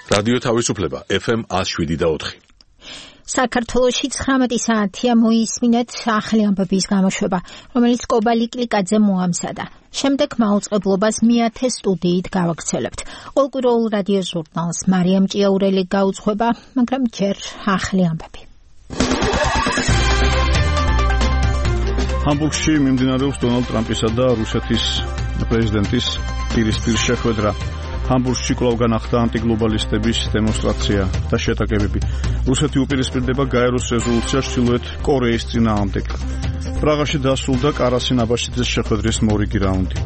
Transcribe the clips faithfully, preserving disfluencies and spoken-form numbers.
რადიო თავისუფლება ეფ ემ one oh seven point four. საქართველოში ცხრამეტი საათია მოისმინეთ ახალი ამბების გამოშვება, რომელიც კობალი კლიკაძე მოამზადა. შემდეგ მაუწყებლობას მეათე სტუდიით გავაგრძელებთ. ყოველკვირეულ რადიო ჟურნალს მარიამ ჭიაურელი გაუძღვება, მაგრამ ჯერ ახალი ამბები. ჰამბურგში მიმდინარეობს დონალდ ტრამპისა და რუსეთის პრეზიდენტის პირისპირ შეხვედრა. ჰამბურგში კვლავ განახდა ანტიგლობალისტების დემონსტრაცია და შეტაკებები. რუსეთი უპირისპირდება გაეროს რეზოლუციას ჩრდილოეთ კორეის წინააღმდეგ. პრაღაში დასრულდა კარასინ აბაშიძის შეხვედრის მორიგი რაუნდი.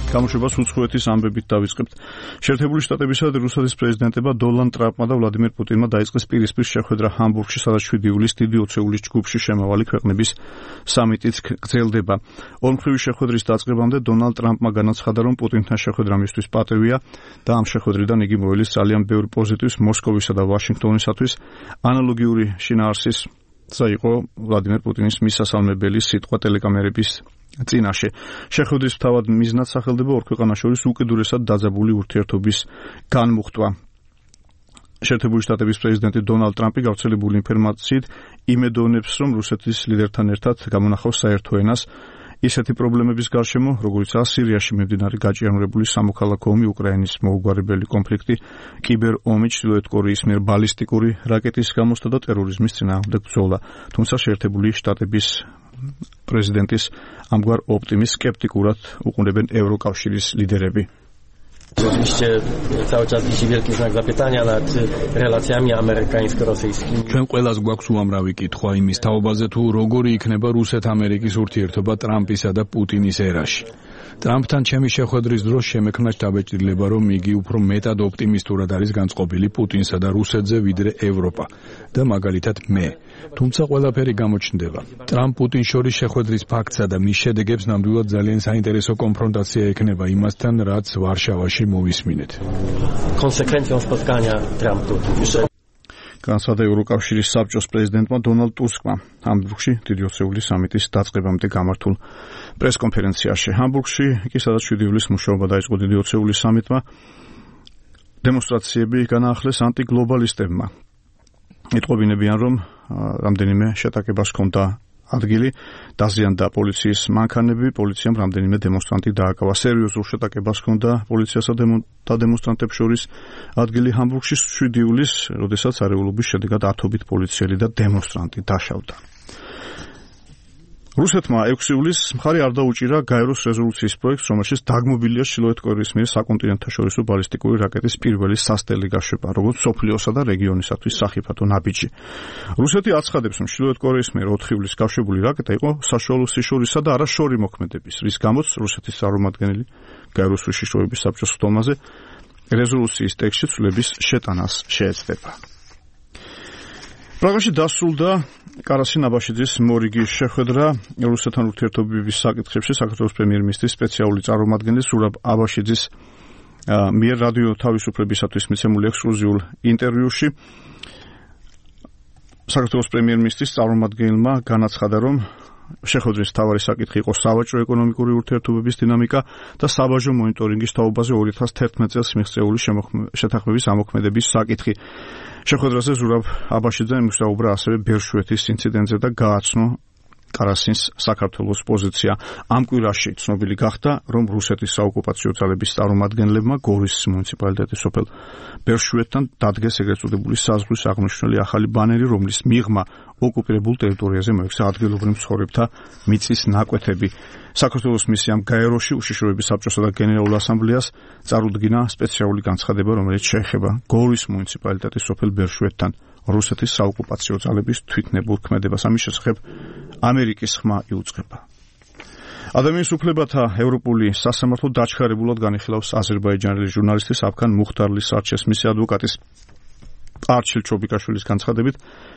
გამოშვებას უცხოეთის ამბებით დავიწყებთ. შეერთებული შტატებისა და რუსეთის პრეზიდენტებმა დონალდ ტრამპმა და ვლადიმერ პუტინმა დაიწყეს პირისპირ შეხვედრა ჰამბურგში, სადაც შვიდი ივლისს დიდი ოცეულის ჯგუფში შემავალი ქვეყნების სამიტიც გრძელდება. ორმხრივი შეხვედრის დაწყებამდე დონალდ ტრამპმა განაცხადა, რომ პუტინთან შეხვედრა მისთვის პატივია და ამ შეხვედრიდან იგი მოელის ძალიან ბევრ პოზიტივს მოსკოვისა და ვაშინგტონისათვის. ანალოგიური შინაარსის იყო ვლადიმერ პუტინის მისასალმებელი სიტყვა ტელეკამერების წინაშე. შეხვედრის თავად მიზნად სახელდება ორ ქვეყანას შორის უკიდურესად დაძაბული ურთიერთობის განმუხტვა. შეერთებული შტატების პრეზიდენტი დონალდ ტრამპი გავრცელებული ინფორმაციით იმედოვნებს, რომ რუსეთის ლიდერთან ერთად გამონახავს საერთო ენას ისეთი პრობლემების გარშემო, როგორიცაა სირიაში მიმდინარე გაჭიანურებული სამოქალაქო ომი, უკრაინის მოუგვარებელი კონფლიქტი, კიბერ ომი, ჩრდილოეთ კორეის მიერ ბალისტიკური რაკეტის გამოსვლა და ტერორიზმის წინააღმდეგ ბრძოლა. თუმცა შეერთებული შტატების პრეზიდენტის ამგვარ ოპტიმიზმს სკეპტიკურად უყურებენ ევროკავშირის ლიდერები. Oczywiście cały czas wisi wielki znak zapytania nad relacjami amerykańsko-rosyjskimi. ჩვენ ყველას გვაქვს უამრავი კითხვა იმის თაობაზე, თუ როგორი იქნება რუსეთ-ამერიკის ურთიერთობა ტრამპისა და პუტინის ერაში. ტრამპთან ჩემი შეხვედრის დროს შემექმნა შთაბეჭდილება, რომ იგი უფრო მეტად ოპტიმისტურად არის განწყობილი პუტინსა და რუსეთზე, ვიდრე ევროპა და მაგალითად მე. თუმცა ყველაფერი გამოჩნდება. ტრამპ-პუტინს შორის შეხვედრის ფაქტსა და მის შედეგებს ნამდვილად ძალიან საინტერესო კონფრონტაცია ექნება იმასთან, რაც ვარშავაში მოვისმინეთ. Konsekwencją spotkania Trump-Putin. განსადა ევროკავშირის საბჭოს პრეზიდენტმა დონალდ ტუსკმა ჰამბურგში დიდი ოცეულის სამიტის დაწყებამდე გამართულ პრესკონფერენციაში. ჰამბურგში კი სადაც შვიდი ივლისს მუშაობა დაიწყო დიდი ოცეულის სამიტმა, დემონსტრაციები განაახლეს ანტიგლობალისტებმა. იტყობინებიან, რომ რამდენიმე შეტაკებას ჰქონდა ადგილი, დაზიანდა პოლიციის მანქანები, პოლიციამ რამდენიმე დემონსტრანტი დააკავა. სერიოზულ შეტაკებას ჰქონდა პოლიციასა და დემონსტრანტებს შორის ადგილი ჰამბურგში შვიდი ივლისს, როდესაც არეულობის შედეგად ათობით პოლიციელი და დემონსტრანტი დაშავდა. რუსეთმა ექვსი ივლისს მხარი არ დაუჭირა გაეროს რეზოლუციის პროექტს, რომელშიც დაგმობილია ჩრდილოეთ კორეის მიერ საკონტინენტთაშორისო ბალისტიკური რაკეტის პირველი სასტელი გაშვება, როგორც მსოფლიოსა და რეგიონისათვის სახიფათო ნაბიჯი. რუსეთი აცხადებს, რომ ჩრდილოეთ კორეის მიერ ოთხი ივლისს გაშვებული რაკეტა იყო საშუალო სიშორისა და არა შორი მოქმედების, რის გამოც რუსეთის წარმომადგენელი გაეროს უშიშროების საბჭოს ხდომაზე რეზოლუციის ტექსტში ცვლილების შეტანას შეეცდება. პრაღაში დასრულდა კარასინ აბაშიძის მორიგი შეხვედრა. რუსეთთან ურთიერთობების საკითხებში საქართველოს პრემიერ-მინისტრის სპეციალური წარმომადგენლის ზურაბ აბაშიძის მიერ რადიო თავისუფლებისათვის მიცემულ ექსკლუზიურ ინტერვიუში საქართველოს პრემიერ-მინისტრის წარმომადგენელმა განაცხადა, რომ შეხვედრის მთავარი საკითხი იყო სავაჭრო-ეკონომიკური ურთიერთობების დინამიკა და საბაჟო მონიტორინგის თაობაზე ორი ათას თერთმეტ წელს მიღწეული შეთანხმების ამოქმედების საკითხი. შეხვედრაზე ზურაბ აბაშიძე მისაუბრა ასევე ბერშვეთის ინციდენტზე და გააცნო კარასინს საქართველოს პოზიცია. ამ კვირაში ცნობილი გახდა, რომ რუსეთის საოკუპაციო ძალების წარმომადგენლებმა გორის მუნიციპალიტეტის სოფელ ბერშვეთთან დადგეს ეგრეთ წოდებული საზღვრის აღმნიშვნელი ახალი ბანერი, რომლის მიღმა ოკუპირებულ ტერიტორიაზე მოექცა ადგილობრივ მცხოვრებთა მიწის ნაკვეთები. საქართველოს მისიამ გაეროში უშიშროების საბჭოსა და გენერალურ ასამბლეას წარუდგინა სპეციალური განცხადება, რომელიც შეეხება გორის მუნიციპალიტეტის სოფელ ბერშვეთთან რუსეთის საოკუპაციო ძალების თვითნებურ ქმედებას. ამის შესახებ ამერიკის ხმა იუწყება. ადამიანის უფლებათა ევროპული სასამართლო დაჩქარებულად განიხილავს აზერბაიჯანელი ჟურნალისტის აფქან მუხტარლის არჩევს. მისი ადვოკატის არჩილ ჩობიკაშვილის განცხადებით,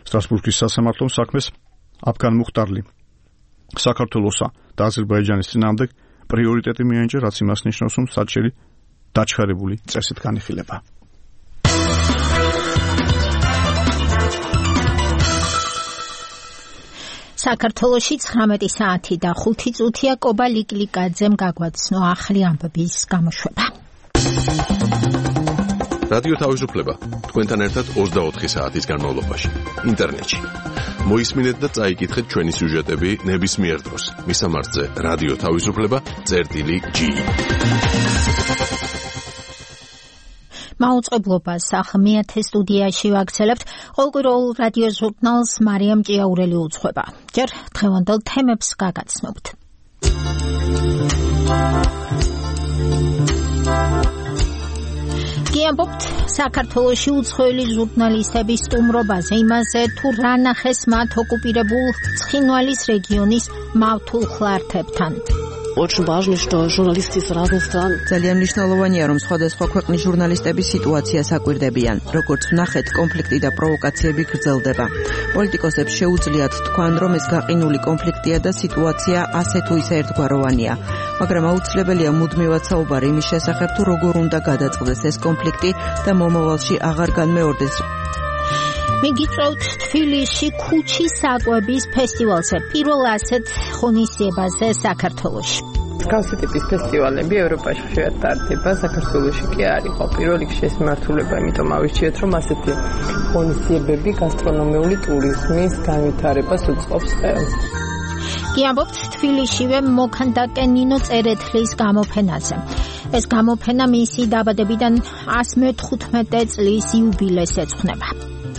სტრასბურგის სასამართლომ საქმეს აფქან მუხტარლი საქართველოსა და აზერბაიჯანის წინააღმდეგ პრიორიტეტი მიენიჭა, რაც იმას ნიშნავს, რომ საჩელი დაჩქარებული წესით განიხილება. საქართველოში ცხრამეტი საათი და ხუთი წუთია. კობა ლიკლიკაძემ გაგვაცნო ახლი ამბების გამოშვება. რადიო თავისუფლება თქვენთან ერთად ოცდაოთხი საათის განმავლობაში ინტერნეტში. მოისმინეთ და წაიკითხეთ ჩვენი სიუჟეტები ნებისმიერ დროს. მისამართზე რადიო თავისუფლება წერტილი ჯი. მაუწყებლობას ახლა მეათე სტუდიაში ვაგრძელებთ. ყოველკვირეულ რადიო ჟურნალს მარიამ ჭიაურელი უძღვება. ჯერ დღევანდელ თემებს გაგაცნობთ. გიამბობთ საქართველოში უცხოელი ჟურნალისტების სტუმრობაზე, იმაზე თუ რა ნახეს მათ ოკუპირებულ ცხინვალის რეგიონის მავთულ ხლართებთან. Очень важно, что журналисты из разных стран. ძალიან მნიშვნელოვანია, რომ სხვადასხვა ქვეყნის ჟურნალისტების სიტუაციას აკვირდებიან. როგორც ვნახეთ, კონფლიქტი და პროვოკაციები გრძელდება. პოლიტიკოსებს შეუძლიათ თქვან, რომ ეს გაყინული კონფლიქტია და სიტუაცია ასე თუ ისე ერთგვაროვანია. მაგრამ აუცილებელია მუდმივად საუბარი იმის შესახებ, თუ როგორ უნდა გადაწყდეს ეს კონფლიქტი და მომავალში აღარ განმეორდეს. მიგიწევთ თბილისში ქუჩის საკვების ფესტივალზე, პირველ ასეთ ღონისძიებაზე საქართველოში. მსგავსი ტიპის ფესტივალები ევროპაში ხშირად ტარდება, საქართველოში კი არ იყო. პირველ რიგში ეს მიმართულება, იმიტომ ავირჩიეთ, რომ ასეთი ღონისძიებები გასტრონომიული ტურიზმის განვითარებას უწყობს ხელს. გიამბობთ თბილისშივე მოქანდაკე ნინო წერეთლის გამოფენაზე. ეს გამოფენა მისი დაბადებიდან ასი მეთხუთმეტე წლის იუბილეს ეძღვნება.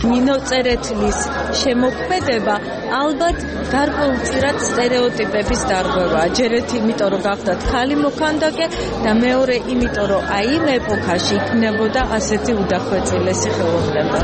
ნინო წერეთლის შემოქმედება ალბათ გარკვეულწილად სტერეოტიპების დარღვევაა. ჯერ ერთი იმიტომ, რომ გახდათ ხალი მოქანდაკე და მეორე იმიტომ, რომ აი იმ ეპოქაში იქნებოდა ასეთი უდახვეწილესი ხელოვნება.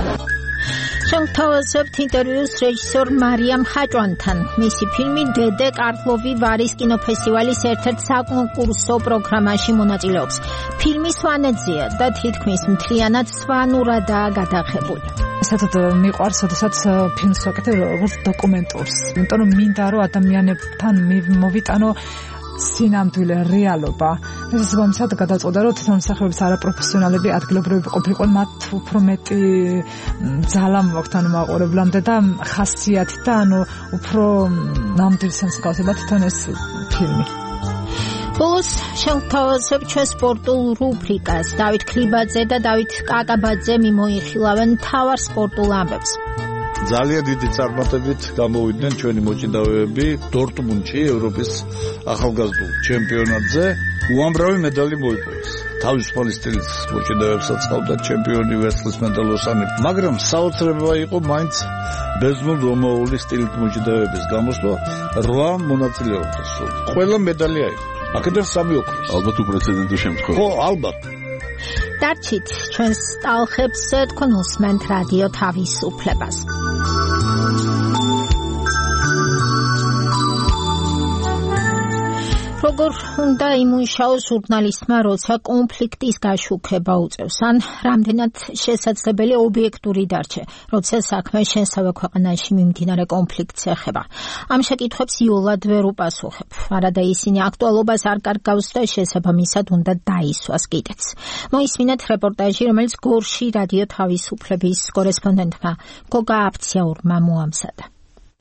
შევთავაზებთ ინტერვიუს რეჟისორ მარიამ ხაჭვანთან. მისი ფილმი დედე კარლოვი ვარის კინოფესტივალის ერთ-ერთ საკონკურსო პროგრამაში მონაწილეობს. ფილმი სვანეთზეა და თითქმის მთლიანად სვანურადაა გადაღებული. საერთოდ მიყვარს, როდესაც ფილმს ვაკეთებ როგორც დოკუმენტურს. იმიტომ რომ მინდა რომ ადამიანებთან მოვიტანო სინამდვილე რეალობა. ეს მომსად გადაწყვეტა, რომ თვითონ მსახიობების არაპროფესიონალები ადგილობრივები ყოფილიყო, მათ უფრო მეტი ძალა მოაქვთ ანუ მაყურებლამდე და ხასიათი და ანუ უფრო ნამდვილ მსგავსება თვითონ ეს ფილმი. ბოლოს შევთავაზებ ჩვენ სპორტულ რუბრიკას. დავით ქლიბაძე და დავით კაკაბაძე მიმოიხილავენ მთავარ სპორტულ ამბებს. ძალიან დიდი წარმატებით გამოვიდნენ ჩვენი მოჭიდავეები დორტმუნდში ევროპის ახალგაზრდულ ჩემპიონატზე. უამრავი медали მოიპოვეს. თავისუფალი სტილის მოჭიდავეებსაც ყავდა ჩემპიონი ვერცხლის მედალოსანი, მაგრამ საოცრება იყო მაინც ბერძნულ რომაული სტილით მოჭიდავეების გამოსვლა. რვა მონაწილეობდა სულ. ყველა медали აიღო. აქედან სამი ოქროს. ალბათ უპრეცედენტო შემთხვევა. ხო, ალბათ. დარჩით ჩვენს ტალხებს, თქვენ უსმენთ რადიო თავისუფლებას. როგორ უნდა იმუშაოს ჟურნალისტმა, როცა კონფლიქტის გაშუქება უწევს, ან რამდენად შესაძლებელი ობიექტური დარჩე, როცა საქმე შენსავე ქვეყანაში მიმდინარე კონფლიქტს ეხება. ამ შეკითხვებს იოლად ვერ უპასუხებ. არადა ისინი აქტუალობას არ კარგავს და შესაბამისად უნდა დაისვას კიდეც. მოისმინეთ რეპორტაჟი, რომელიც გორში რადიო თავისუფლების კორესპონდენტმა გოგა აფციაურმა მოამზადა.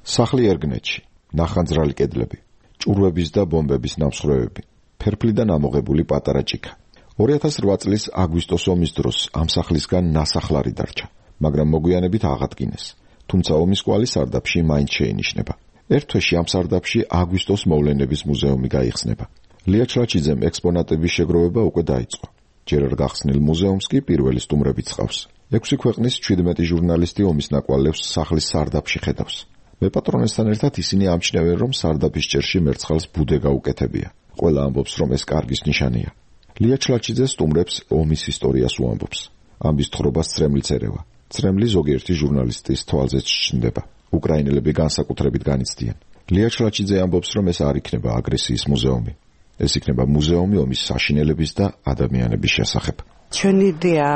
სახლი ერგნეთში, ნახანძრალი კედლები, ჭურვების და ბომბების ნამსხვრევები, ფერფლიდან ამოღებული პატარა ჭიქა. ორი ათას რვა წლის აგვისტოს ომის დროს ამ სახლისგან ნასახლარი დარჩა, მაგრამ მოგვიანებით აღადგინეს. თუმცა ომის კვალი სარდაფში მაინც შეინიშნება. ერთ თვეში ამ სარდაფში აგვისტოს მოვლენების მუზეუმი გაიხსნება. ლია ჩლაჩიძემ ექსპონატების შეგროვება უკვე დაიწყო. ჯერ არ გახსნილ მუზეუმს კი პირველი სტუმრებიც ჰყავს. ექვსი ქვეყნის ჩვიდმეტი ჟურნალისტი ომის ნაკვალევს სახლის სარდაფში ხედავს. მეპატრონესთან ერთად ისინი ამჩნევენ, რომ სარდაფის ჭერში მერცხალს ბუდე გაუკეთებია. ყველა ამბობს, რომ ეს კარგის ნიშანია. ლია ჩლაჩიძე სტუმრებს ომის ისტორიას უამბობს. ამბის თხრობას წრემლიც ერევა. წრემლი ზოგიერთი ჟურნალისტის თვალზეც ჩნდება. უკრაინელები განსაკუთრებით განიცდიან. ლია ჩლაჩიძე ამბობს, რომ ეს არ იქნება აგრესიის მუზეუმი. ეს იქნება მუზეუმი ომის საშინელების და ადამიანების შესახებ. ჩვენი იდეა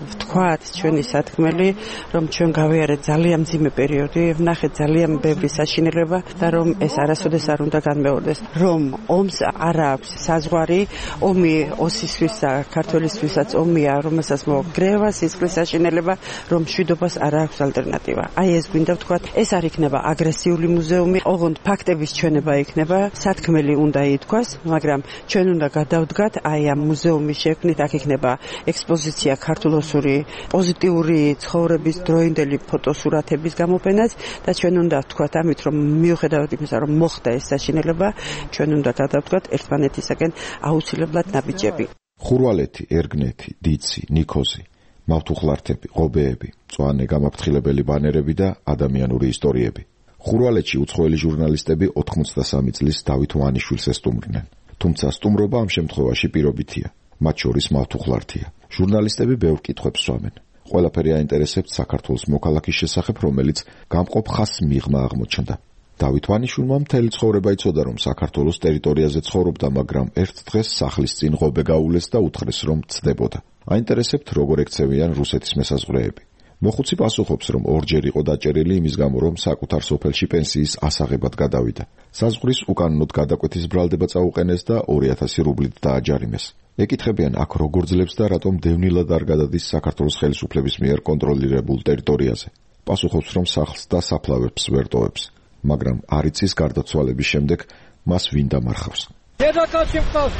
ვთქვათ ჩვენი სათქმელი, რომ ჩვენ გავიარეთ ძალიან მძიმე პერიოდი, ვნახეთ ძალიან ბევრი საშინელება და რომ ეს არასოდეს არ უნდა განმეორდეს, რომ ომს არ აქვს საზღვარი, ომი ოსისთვის და ქართველისთვისაც ომია, რომელსაც მოგრევა სისხლის საშინელება, რომ მშვიდობას არ აქვს ალტერნატივა. აი ეს გვინდა ვთქვათ, ეს არ იქნება აგრესიული მუზეუმი, ოღონდ ფაქტების ჩვენება იქნება, სათქმელი უნდა ითქვას, მაგრამ ჩვენ უნდა გადავდგათ აი ამ მუზეუმის შექმნით, აქ იქნება ექსპოზიცია ქართულ-ოსური პოზიტიური ცხოვრების დროინდელი ფოტოსურათების გამოფენაც და ჩვენ უნდა ვთქვათ ამით, რომ მიუხედავად იმისა, რომ მოხდა ეს საშინელება, ჩვენ უნდა გადავდგათ ერთმანეთისაგან აუცილებლად ნაბიჯები. ხურვალეთი, ერგნეთი, დიცი, ნიქოზი, მავთუხლართები, ღობეები, მწვანე გამაფრთხილებელი ბანერები და ადამიანური ისტორიები. ხურვალეთში უცხოელი ჟურნალისტები ოთხმოცდასამი წლის დავით ვანიშვილს ესტუმრნენ. თუმცა სტუმრობა ამ შემთხვევაში პირობითია. მათ შორის მავთუხლართია. ჟურნალისტები ბევრ კითხვებს სვამენ. ყველაფერი აინტერესებთ საქართველოს მოქალაქის შესახებ, რომელიც გამყოფ ხაზს მიღმა აღმოჩნდა. დავით ვანიშვილმა მთელი ცხოვრება იცოდა, რომ საქართველოს ტერიტორიაზე ცხოვრობდა, მაგრამ ერთ დღეს სახლის წინ ღობე გაულეს და უთხრეს, რომ ცდებოდა. აინტერესებთ, როგორ ექცევიან რუსეთის მესაზღვრეები. მოხუცი პასუხობს, რომ ორჯერ იყო დაჭერილი იმის გამო, რომ საკუთარ სოფელში პენსიის ასაღებად გადავიდა. საზღვრის უკანონოდ გადაკვეთის ბრალდება წაუყენეს და ორი ათასი რუბლით დააჯარიმეს. ეკითხებიან, აქ როგორ ძლებს და რატომ დევნილად არ გადადის საქართველოს ხელისუფლების მიერ კონტროლირებულ ტერიტორიაზე. პასუხობს, რომ სახლს და საფლავებს ვერ ტოვებს, მაგრამ არ იცის გარდაცვალების შემდეგ მას ვინ დამარხავს. დედაკაცი მყავს,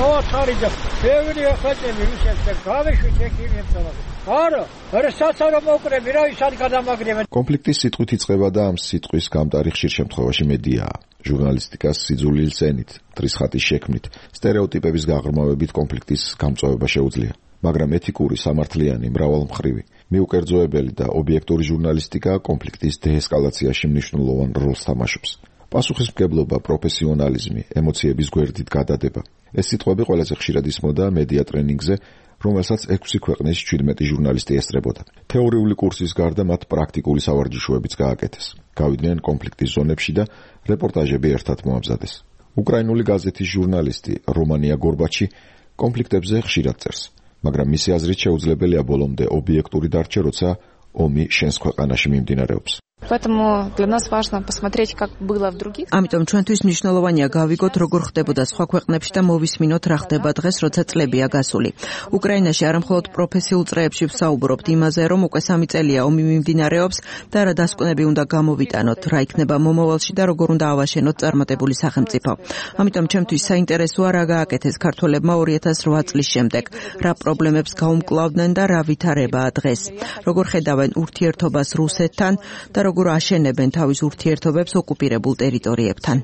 ოთხარიჯა, ბევრი ხაჭები ვიშეთე, გავეშვით ეკიმებსა. არა, არა საცარო მოკრები, რა ის არ გადამაგრებენ. კონფლიქტის სიტყვით იწყება და ამ სიტყვის გამტარი ხშირ შემთხვევაში მედიაა. ჟურნალისტიკას სიძულვილს ენით, მტრის ხატის შექმნით, სტერეოტიპების გაღრმავებით კონფლიქტის გამწვევება შეუძლია. მაგრამ ეთიკური, სამართლიანი, მრავალმხრივი, მიუკერძოებელი და ობიექტური ჟურნალისტიკა კონფლიქტის დეესკალაციაში მნიშვნელოვან როლს თამაშობს. პასუხისმგებლობა, პროფესიონალიზმი, ემოციების გვერდით გადადება. ეს სიტყვები ყველაზე ხშირად ისმოდა მედია ტრენინგზე, რომელსაც ექვსი ქვეყნის შვიდმეტი ჟურნალისტი ესწრებოდა. თეორიული კურსის გარდა მათ პრაქტიკული სავარჯიშოებიც გააკეთეს. გავიდნენ კონფლიქტის ზონებში და რეპორტაჟები ერთად მოამზადეს. უკრაინული გაზეთის ჟურნალისტი რომანია გორბაჩი კონფლიქტებზე ხშირად წერს, მაგრამ მისი აზრით შეუძლებელია ბოლომდე ობიექტური დარჩა, როცა ომი შენს ქვეყანაში მიმდინარეობს. Поэтому для нас важно посмотреть, как было в других. ამიტომ ჩვენთვის მნიშვნელოვანია გავიგოთ, როგორ ხდებოდა სხვა ქვეყნებში და მოვისმინოთ, რა ხდება დღეს, როცა წლებია გასული. უკრაინაში არ მხოლოდ პროფესიულ წრეებში ვსაუბრობთ იმაზე, რომ უკვე სამი წელია ომი მიმდინარეობს და რა დასკვნები უნდა გამოვიტანოთ, რა იქნება მომავალში და როგორ უნდა ავაშენოთ წარმატებული სახელმწიფო. ამიტომ ჩემთვის საინტერესოა, რა გააკეთეს ქართველებმა ორი ათას რვა წლის შემდეგ, რა პრობლემებს გაუმკლავდნენ და რა ვითარებაა დღეს. როგორ ხედავენ ურთიერთობას რუსეთთან და როგორ აშენებენ თავის ურთიერთობებს ოკუპირებულ ტერიტორიებთან.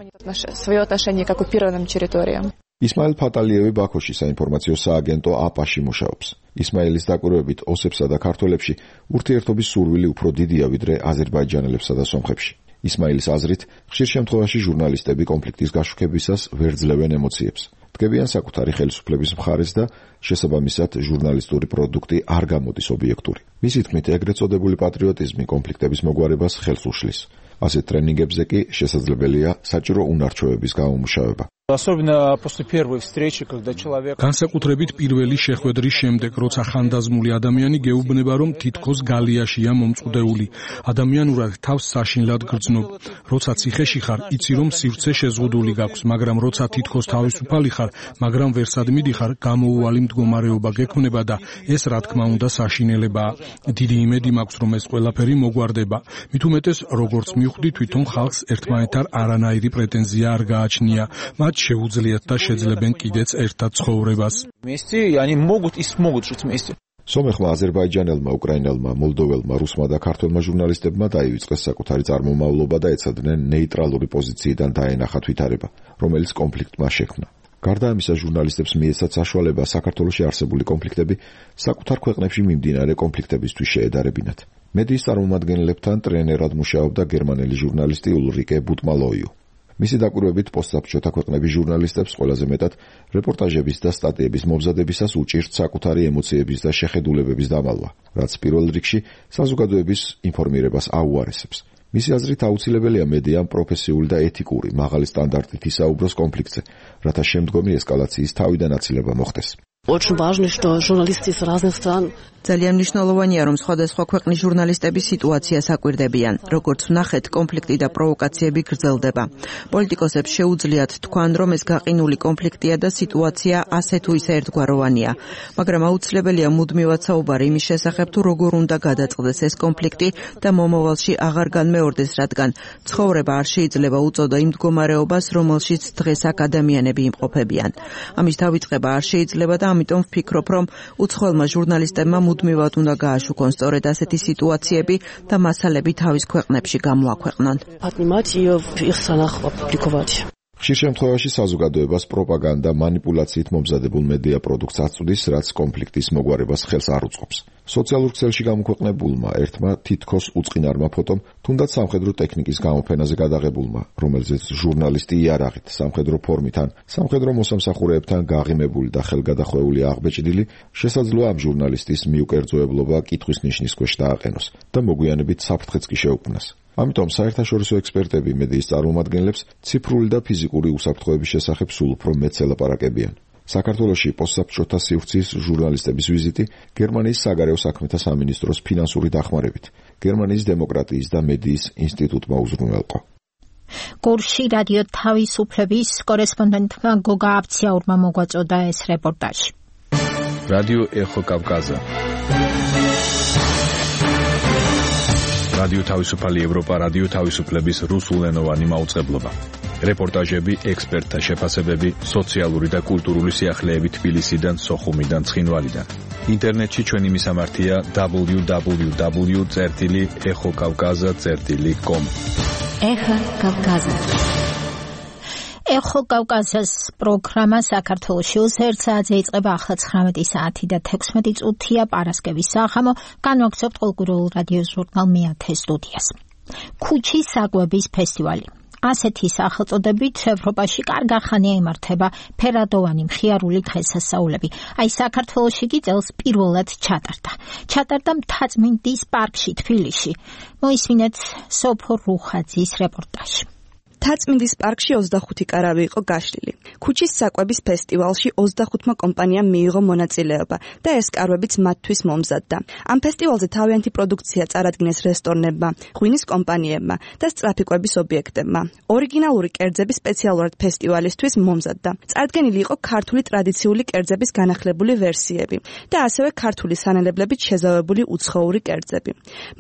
Своё отношение к оккупированным территориям. ისმაილ ფატალიევი ბაქოში საინფორმაციო სააგენტო აპაში მუშაობს. ისმაილის დაკვირვებით ოსებსა და ქართველებში ურთიერთობის სურვილი უფრო დიდია ვიდრე აზერბაიჯანელებსა და სომხებში. ისმაილის აზრით, ხშირ შემთხვევაში ჟურნალისტები კონფლიქტის გაშუქებისას ვერ ძლევენ ემოციებს. დგებიან საკუთარი ხელისუფლების მხარეს და შესაბამისად ჟურნალისტური პროდუქტი არ გამოდის ობიექტური. მისი თქმით, ეგრეთ წოდებული პატრიოტიზმი კონფლიქტების მოგვარებას ხელს უშლის. ასეთ ტრენინგებზე კი შესაძლებელია საჭირო უნარჩვევების გამომუშავება. Особенно после первой встречи, когда человек განსაკუთრებით პირველი შეხვედრის შემდეგ, როცა ხანდაზმული ადამიანი გეუბნება, რომ თითქოს გალიაშია მომწუდეული, ადამიანურად თავს საშინლად გრძნობ. როცა ციხეში ხარ, იცი რომ სივრცე შეზღუდული გაქვს, მაგრამ როცა თითქოს თავისუფალი ხარ, მაგრამ ვერსად მიდიხარ, გამოუვალი მდგომარეობა გექმნება და ეს რა თქმა უნდა საშინელებაა. დიდი იმედი მაქვს, რომ ეს ყველაფერი მოგვარდება. მით უმეტეს, როგორც მივხვდი, თვითონ ხალხს ერთმანეთთან არანაირი პრეტენზია არ გააჩნია. შეუძლიათ და შეძლებენ კიდეც ერთად ცხოვრებას. Вместе, они могут и смогут жить вместе. სომეხმა, აზერბაიჯანელმა, უკრაინელმა, მოლდოველმა, რუსმა და ქართველმა ჟურნალისტებმა დაივიწყეს საკუთარი წარმომავლობა და ეცადნენ ნეიტრალური პოზიციიდან დაენახათ ვითარება, რომელიც კონფლიქტმა შექმნა. გარდა ამისა, ჟურნალისტებს მიეცათ საშუალება საქართველოში არსებული კონფლიქტები საკუთარ ქვეყნებში მიმდინარე კონფლიქტებისთვის შეედარებინათ. მედიის წარმომადგენლებთან ტრენერად მუშაობდა გერმანელი ჟურნალისტი ულრიკე ბუტმალოიუ. მისი დაკვირვებით პოსტსაბჭოთა ქვეყნების ჟურნალისტებს ყველაზე მეტად რეპორტაჟების და სტატიების მომზადებისას უჭირთ საკუთარი ემოციების და შეხედულებების დამალვა, რაც პირველ რიგში საზოგადოების ინფორმირებას აუარესებს. მისი აზრით აუცილებელია მედიამ პროფესიული და ეთიკური, მაღალი სტანდარტით ისაუბროს კონფლიქტზე, რათა შემდგომი ესკალაციის თავიდან აცილება მოხდეს. Очень важно, что журналисты из разных стран ძალიან მნიშვნელოვანია, რომ სხვადასხვა ქვეყნის ჟურნალისტები სიტუაციას აკვირდებიან. როგორც ვნახეთ, კონფლიქტი და პროვოკაციები გრძელდება. პოლიტიკოსებს შეუძლიათ თქვან, რომ ეს გაყინული კონფლიქტია და სიტუაცია ასე თუ ისე ერთგვაროვანია. მაგრამ აუცილებელია მუდმივად საუბარი იმის შესახებ, თუ როგორ უნდა გადაწყდეს ეს კონფლიქტი და მომავალში აღარ განმეორდეს, რადგან ცხოვრება არ შეიძლება უწოდო იმ მდგომარეობას, რომელშიც დღეს აქ ადამიანები იმყოფებიან. ამის დავიწყება არ შეიძლება და ამიტომ ვფიქრობ, რომ უცხოელმა ჟურნალისტებმა მუდმივად უნდა გააშუქონ სწორედ ასეთი სიტუაციები და მასალები თავის ქვეყნებში გამოაქვეყნონ. ხშირ შემთხვევაში საზოგადოებას პროპაგანდა მანიპულაციით მომზადებულ მედია პროდუქტს აწვდის, რაც კონფლიქტის მოგვარებას ხელს არ უწყობს. სოციალურ ქსელში გამოქვეყნებულმა ერთმა თითქოს უწყინარმა ფოტომ, თუნდაც სამხედრო ტექნიკის გამოფენაზე გადაღებულმა, რომელზეც ჟურნალისტი იარაღით, სამხედრო ფორმით ან სამხედრო მოსამსახურეებთან გაღიმებული და ხელგადახვეული აღბეჭდილი, შესაძლოა ამ ჟურნალისტის მიუკერძოებლობა კითხვის ნიშნის ქვეშ დააყენოს და მოგვიანებით საფრთხეც კი შეუქმნას. ამიტომ საერთაშორისო ექსპერტები მედიის წარმომადგენლებს ციფრული და ფიზიკური უსაფრთხოების შესახებ სულ უფრო მეტს ელაპარაკებიან. საქართველოში პოსტსაბჭოთა სივრცის ჟურნალისტების ვიზიტი გერმანიის საგარეო საქმეთა სამინისტროს ფინანსური დახმარებით გერმანიის დემოკრატიის და მედიის ინსტიტუტმა უზრუნველყო. გორში რადიო თავისუფლების კორესპონდენტმა გოგა აბციაურმა მოგვაწოდა ეს რეპორტაჟი. რადიო ეხო კავკაზა. რადიო თავისუფალი ევროპა, რადიო თავისუფლების რუსულენოვანი მაუწყებლობა. რეპორტაჟები, ექსპერტთა შეფასებები, სოციალური და კულტურული სიახლეები თბილისიდან, სოხუმიდან, ცხინვალიდან. ინტერნეტში ჩვენი მისამართია დაბლიუ დაბლიუ დაბლიუ წერტილი ეხო კავკაზა წერტილი კომ. ეხო კავკაზა. ეხო კავკაზას პროგრამა საქართველოში ოცდაერთ საათზე იწყება, ახლა ცხრამეტი საათი და თექვსმეტი წუთია პარასკევის საღამო. განვაგრძობთ ყოველკვირეულ რადიო ჟურნალ მეათე სტუდიას. ქუჩის საკვების ფესტივალი. ასეთი სახელწოდებით ევროპაში კარგ ხანია იმართება ფერადოვანი მხიარული დღესასწაულები. აი საქართველოში კი წელს პირველად ჩატარდა. ჩატარდა მთაწმინდის პარკში თბილისში. მოისმინეთ სოფო რუხაძის რეპორტაჟი. მთაწმინდის პარკში ოცდახუთი კარავი იყო გაშლილი. ქუჩის საკვების ფესტივალში ოცდახუთმა კომპანიამ მიიღო მონაწილეობა და ეს კარვებიც მათთვის მომზადდა. ამ ფესტივალზე თავიანთი პროდუქცია წარადგინეს რესტორნებმა, ღვინის კომპანიებმა და სწრაფიკვების ობიექტებმა. ორიგინალური კერძები სპეციალურად ფესტივალისთვის მომზადდა. წარდგენილი იყო ქართული ტრადიციული კერძების განახლებული ვერსიები და ასევე ქართული სანელებლებით შეზავებული უცხოური კერძები.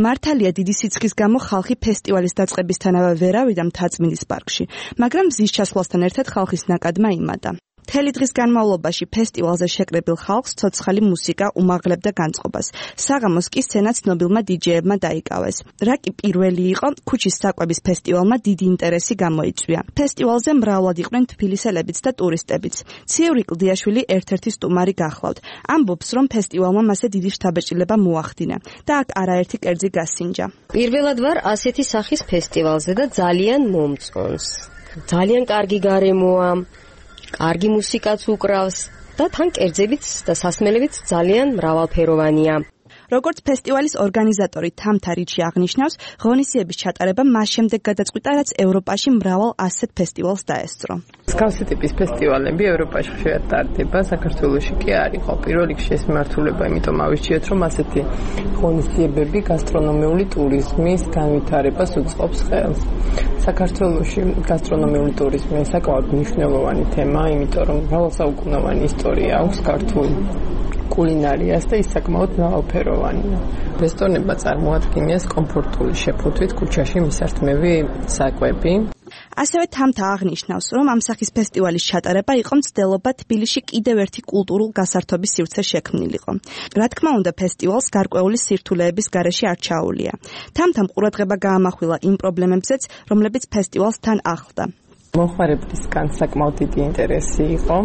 მართალია დიდი სიცხის გამო ხალხი ფესტივალის დაწყებისთანავე ვერ ავიდა მთაწმინდის პარკში, მაგრამ მზის ჩასვლასთან ერთად ხალხის ნაკადმა იმატა. მთელი დღის განმავლობაში ფესტივალზე შეკრებილ ხალხს ცოცხალი მუსიკა უმაღლებდა განწყობას. საღამოს კი სცენა ცნობილმა დიჯეებმა დაიკავეს. რა კი პირველი იყო, ქუჩის საკვების ფესტივალმა დიდი ინტერესი გამოიწვია. ფესტივალზე მრავლად იყვნენ თბილისელებიც და ტურისტებიც. ციური კლდიაშვილი ერთ-ერთი სტუმარი გახლავთ. ამბობს, რომ ფესტივალმა მასე დიდი შთაბეჭდილება მოახდინა და აქ არაერთი კერძი გასინჯა. პირველად ვარ ასეთი სახის ფესტივალზე და ძალიან მომწონს. ძალიან კარგი გარემოა. კარგი მუსიკაც უკრავს და თან კერძებიც და სასმელებიც ძალიან მრავალფეროვანია. როგორც ფესტივალის ორგანიზატორი თამთა რიჩი აღნიშნავს, ღონისძიების ჩატარება მას შემდეგ გადაწყვიტა, რაც ევროპაში მრავალ ასეთ ფესტივალს დაესწრო. მსგავსი ტიპის ფესტივალები ევროპაში ხშირად ტარდება, საქართველოში კი არ იყო. პირველ რიგში ეს მიმართულება, იმიტომ ავირჩიეთ, რომ ასეთი ღონისძიებები გასტრონომიული ტურიზმის განვითარებას უწყობს ხელს. საქართველოში გასტრონომიული ტურიზმი საკმაოდ მნიშვნელოვანი თემაა, იმიტომ რომ მრავალსაუკუნოვანი ისტორია აქვს ქართული კულინარიას და ის საკმაოდ მრავალფეროვანია. რესტორნებმა წარმოადგენს კომფორტული შეფუთვით ქუჩაში მისართმევი საკვები. ასევე თამთა აღნიშნავს, რომ ამ სახის ფესტივალის ჩატარება იყო მცდელობა თბილისში კიდევ ერთი კულტურულ გასართობის სივრცე შექმნილიყო. რა თქმა უნდა, ფესტივალს გარკვეული სირთულეების გარეშე არ ჩაუვლია. თამთამ ყურადღება გაამახვილა იმ პრობლემებზეც, რომლებიც ფესტივალს თან ახლდა. მომხმარებლისგან საკმაოდ დიდი ინტერესი იყო,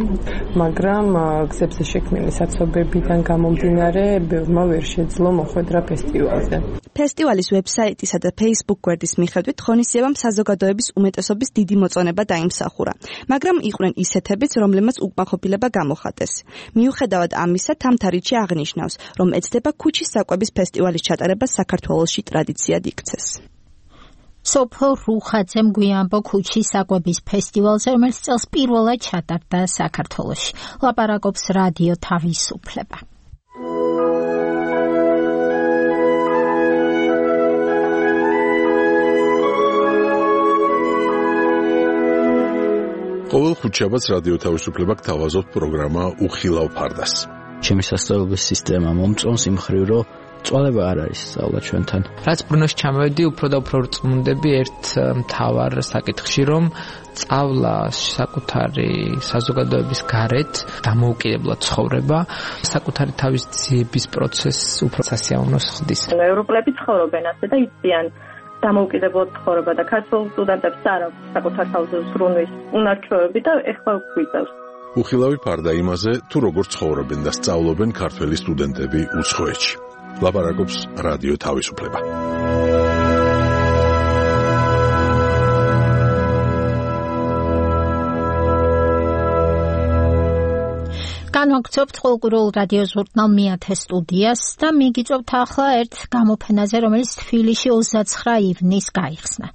მაგრამ გზებზე შექმნილი საცობებიდან გამომდინარე ბევრმა ვერ შეძლო მოხვედრა ფესტივალზე. ფესტივალის ვებსაიტისა და Facebook გვერდის მიხედვით ღონისძიებამ საზოგადოების უმეტესობის დიდი მოწონება დაიმსახურა, მაგრამ იყვნენ ისეთებიც, რომლებმაც უკმაყოფილება გამოხატეს. მიუხედავად ამისა, თამთა რიჩი აღნიშნავს, რომ ეცდება ქუჩის საკვების ფესტივალის ჩატარება საქართველოში ტრადიციად იქცეს. სოფო რუხაძემ გვიანბო ქუჩის საკვების ფესტივალზე, რომელიც წელს პირველად ჩატარდა საქართველოში. ლაპარაკობს რადიო თავისუფლება. ყოველ ხუთშაბათს რადიო თავისუფლება გთავაზობთ პროგრამა უხილავ ფარდას. ჩემი სასწავლებლების სისტემა მომწონს იმ მხრივ, რომ წვალება არ არის სწავლა ჩვენთან. რაც ბრუნოში ჩამოვედი, უფრო და უფრო წმუნდები ერთ მთავარ საკითხში, რომ სწავლა საკუთარი საზოგადოების გარეთ დამოუკიდებლად ცხოვრება, საკუთარი თავის ძიების პროცესს უფრო სასიამოვნოს ხდის. ევროპელები ცხოვრობენ ასე და იციან დამოუკიდებლად ცხოვრება და ქართულ სტუდენტებს არ აქვს საკუთარ თავზე ზრუნვის უნარჩვევები და ეხლა გვიწევს. უხილავი ფარდა იმაზე, თუ როგორ ცხოვრობენ და სწავლობენ ქართველი სტუდენტები უცხოეთში. ლაპარაკობს რადიო თავისუფლება. განვაგრძობთ ყოველკვირეულ რადიო ჟურნალ მეათე სტუდიას და მიგიწევთ ახლა ერთ გამოფენაზე, რომელიც თბილისში ოცდაცხრა ივნისს გაიხსნა.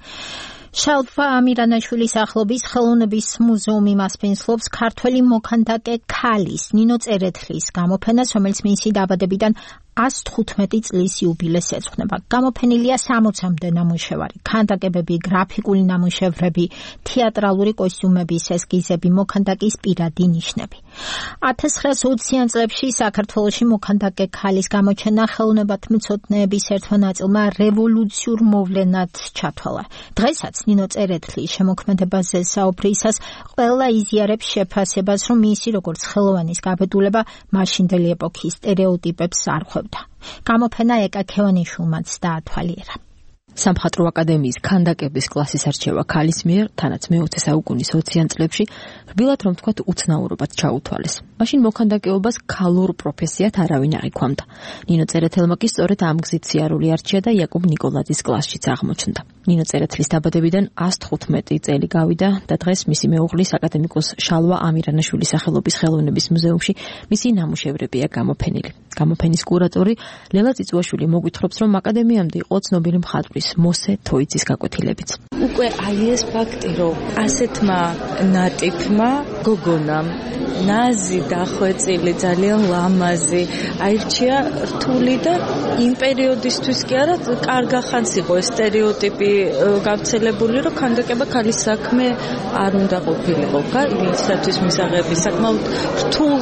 შალვა ამირანაშვილის ახლობის ხელოვნების მუზეუმი მასპინძლობს ქართველი მოქანდაკე ქალის ნინო წერეთლის გამოფენას, რომელიც მისი დაბადებიდან ას თხუთმეტი წლის იუბილეს ეძღვნება. გამოფენილია სამოცამდე ნამუშევარი, ქანდაკებები, გრაფიკული ნამუშევრები, თეატრალური კოსტიუმების ესკიზები, მოქანდაკის პირადი ნიშნები. ათას ცხრაას ოციან წლებში საქართველოში მოქანდაკე ქალის გამოჩენა ხელოვნებათმცოდნეების ერთმა ნაწილმა რევოლუციურ მოვლენად ჩათვალა. დღესაც ნინო წერეთლის შემოქმედებაზე საუბრისას ყველა იზიარებს შეფასებას, რომ მისი როგორც ხელოვანის გაბედულება მაშინდელი ეპოქის სტერეოტიპებს არღვევდა. გამოფენა ეკა ქევანიშვილმაც დაათვალიერა. სამხატვრო აკადემიის ქანდაკების კლასის არჩევა ქალის მიერ, თანაც მეოცე საუკუნის ოციან წლებში, რბილად რომ თქვათ უცნაურობად ჩაუთვალეს. მაშინ მოქანდაკეობას ქალურ პროფესიად არავინ არ იქვამდა. ნინო წერეთელმა კი სწორედ ამ გზით სიარული არჩია და იაკობ ნიკოლაძის კლასშიც აღმოჩნდა. ნინო წერეთლის დაბადებიდან ას თხუთმეტი წელი გავიდა და დღეს მისი მეუღლის აკადემიკოს შალვა ამირანაშვილის სახელობის ხელოვნების მუზეუმში მისი ნამუშევრებია გამოფენილი. გამოფენის კურატორი ლელა წიწუაშვილი მოგვითხრობს, რომ აკადემიამდე იყო ცნობილი მხატვრის მოსე თოიძის გაკვეთილებიც. უკვე აი ეს ფაქტი, რომ ასეთმა ნატიფმა გოგონამ ნაზი დახვეწილი, ძალიან ლამაზი აირჩია რთული და იმ პერიოდისთვის კი არა, კარგახანს იყო ეს სტერეოტიპი გავრცელებული, რომ ქანდაკება ქალის საქმე არ უნდა ყოფილიყო. ვისაც მისაღები საკმაოდ რთულ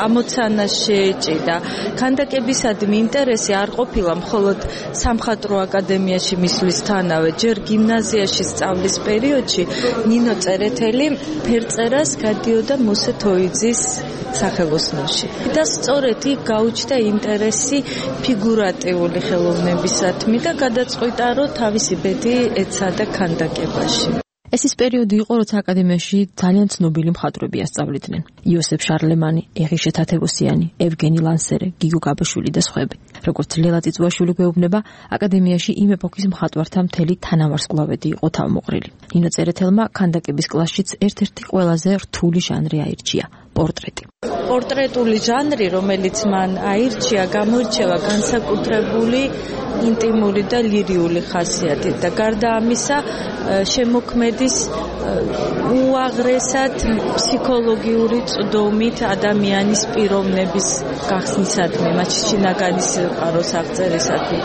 ამოცანას შეეჭიდა. ქანდაკებისადმი ინტერესი არ ყოფილა მხოლოდ სამხატვრო აკადემიაში მისვლისთანავე, ჯერ გიმნაზიაში სწავლის პერიოდში ნინო წერეთელი ფერწერას გადიოდა მოსე თოიძის სახელოსნოში. და სწორედ იქ გაუჩნდა ინტერესი ფიგურატიული ხელოვნებისადმი და გადაწყვიტა, რომ თავისი ბედი ეცადა ქანდაკებაში. ეს ის პერიოდი იყო, როცა აკადემიაში ძალიან ცნობილი მხატვრები ასწავლიდნენ. იოსებ შარლემანი, ეღიშე თათევოსიანი, ევგენი ლანსერე, გიგო გაბაშვილი და სხვები. როგორც ლელა წიწუაშვილი გვეუბნება, აკადემიაში იმ ეპოქის მხატვართა მთელი თანავარსკვლავედი იყო თავმოყრილი. ნინო წერეთელმა ქანდაკების კლასშიც ერთ-ერთი ყველაზე რთული ჟანრი აირჩია პორტრეტი. პორტრეტული ჟანრი, რომელიც მან აირჩია, გამოირჩევა განსაკუთრებული ინტიმური და ლირიული ხასიათით და გარდა ამისა შემოქმედის უაღრესად ფსიქოლოგიური წვდომით ადამიანის პიროვნების გახსნისადმი, მათ შინაგანი სიყვარულის აღწერისადმი.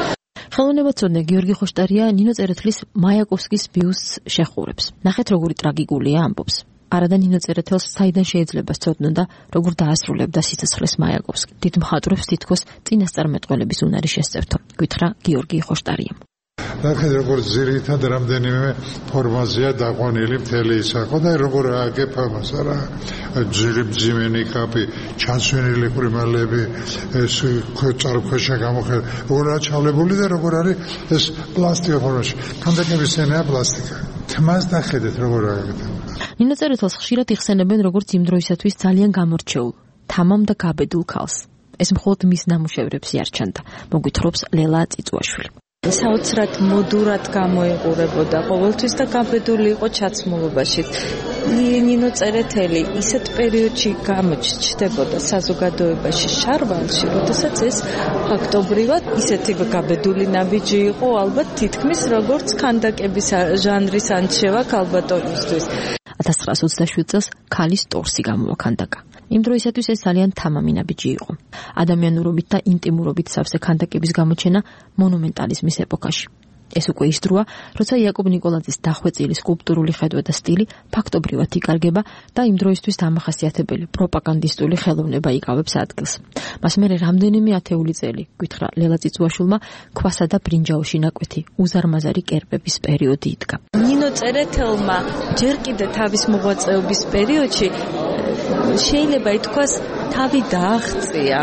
ხელოვნებაცოდნე გიორგი ხოშტარია ნინო წერეთლის მაიაკოვსკის ბიუსტს შეხურებს. ნახეთ როგორი ტრაგიკულია ამბობს. არადა ნინო წერეთელს საიდან შეიძლება სწოდნოდა, როგორ დაასრულებდა სიცოცხლეს მაიაკოვსკი. დიდ მხატვრებს თითქოს წინასწარმეტყველების უნარი შესწევთო, გითხრა გიორგი ხოშტარიამ. ნახეთ როგორ ძირითად რამდენიმე ფორმაზეა დაყვანილი მთელი ისახო და როგორ ააგებ ამას რა ძირი მძიმენი კაპი, ჩანსვენილი პრიმალები, ეს წარმოქვეშა გამოხედ როგორ აჩავლებული და როგორ არის ეს პლასტიკა ფორმაში. ქანდაკების ენაა პლასტიკა. თმას დახედეთ როგორ ააგებ. ნინო წერეთელს ხშირად იხსენებენ როგორც იმ დროისათვის ძალიან გამორჩეულ, თამამ და გაბედულ ქალს. ეს მხოლოდ მის ნამუშევრებს იარჩენდა, მოგვითხრობს ლელა წიწუაშვილი. საოცრად მოდურად გამოიყურებოდა ყოველთვის და გაბედული იყო ჩაცმულობაში. ნინო წერეთელი ისეთ პერიოდში გამოჩნდებოდა საზოგადოებაში შარვალში, როდესაც ეს ფაქტობრივად ისეთი გაბედული ნაბიჯი იყო, ალბათ თითქმის როგორც ქანდაკების ჟანრის ანჩევა ქალბატონისთვის. ათას ცხრაას ოცდაშვიდ წელს ქალის ტორსი გამოვაქანდაკა. იმ დროისათვის ეს ძალიან თამამი ნაბიჯი იყო. ადამიანურობით და ინტიმურობით სავსე ქანდაკების გამოჩენა მონუმენტალიზმის ეპოქაში. ეს უკვე ის დროა, როცა იაკობ ნიკოლაძის დახვეწილი სკულპტურული ხედვა და სტილი ფაქტობრივად იკარგება და იმ დროისთვის დამახასიათებელი პროპაგანდისტული ხელოვნება იკავებს ადგილს. მას მერე რამდენიმე ათეული წელი, გითხრა ლელა წიწუაშვილმა, ქვასა და ბრინჯაოში ნაკვეთი უზარმაზარი კერპების პერიოდი იდგა. ნინო წერეთელმა ჯერ კიდე თავის მოღვაწეობის პერიოდში შეიძლება ითქვას თავი დააღწია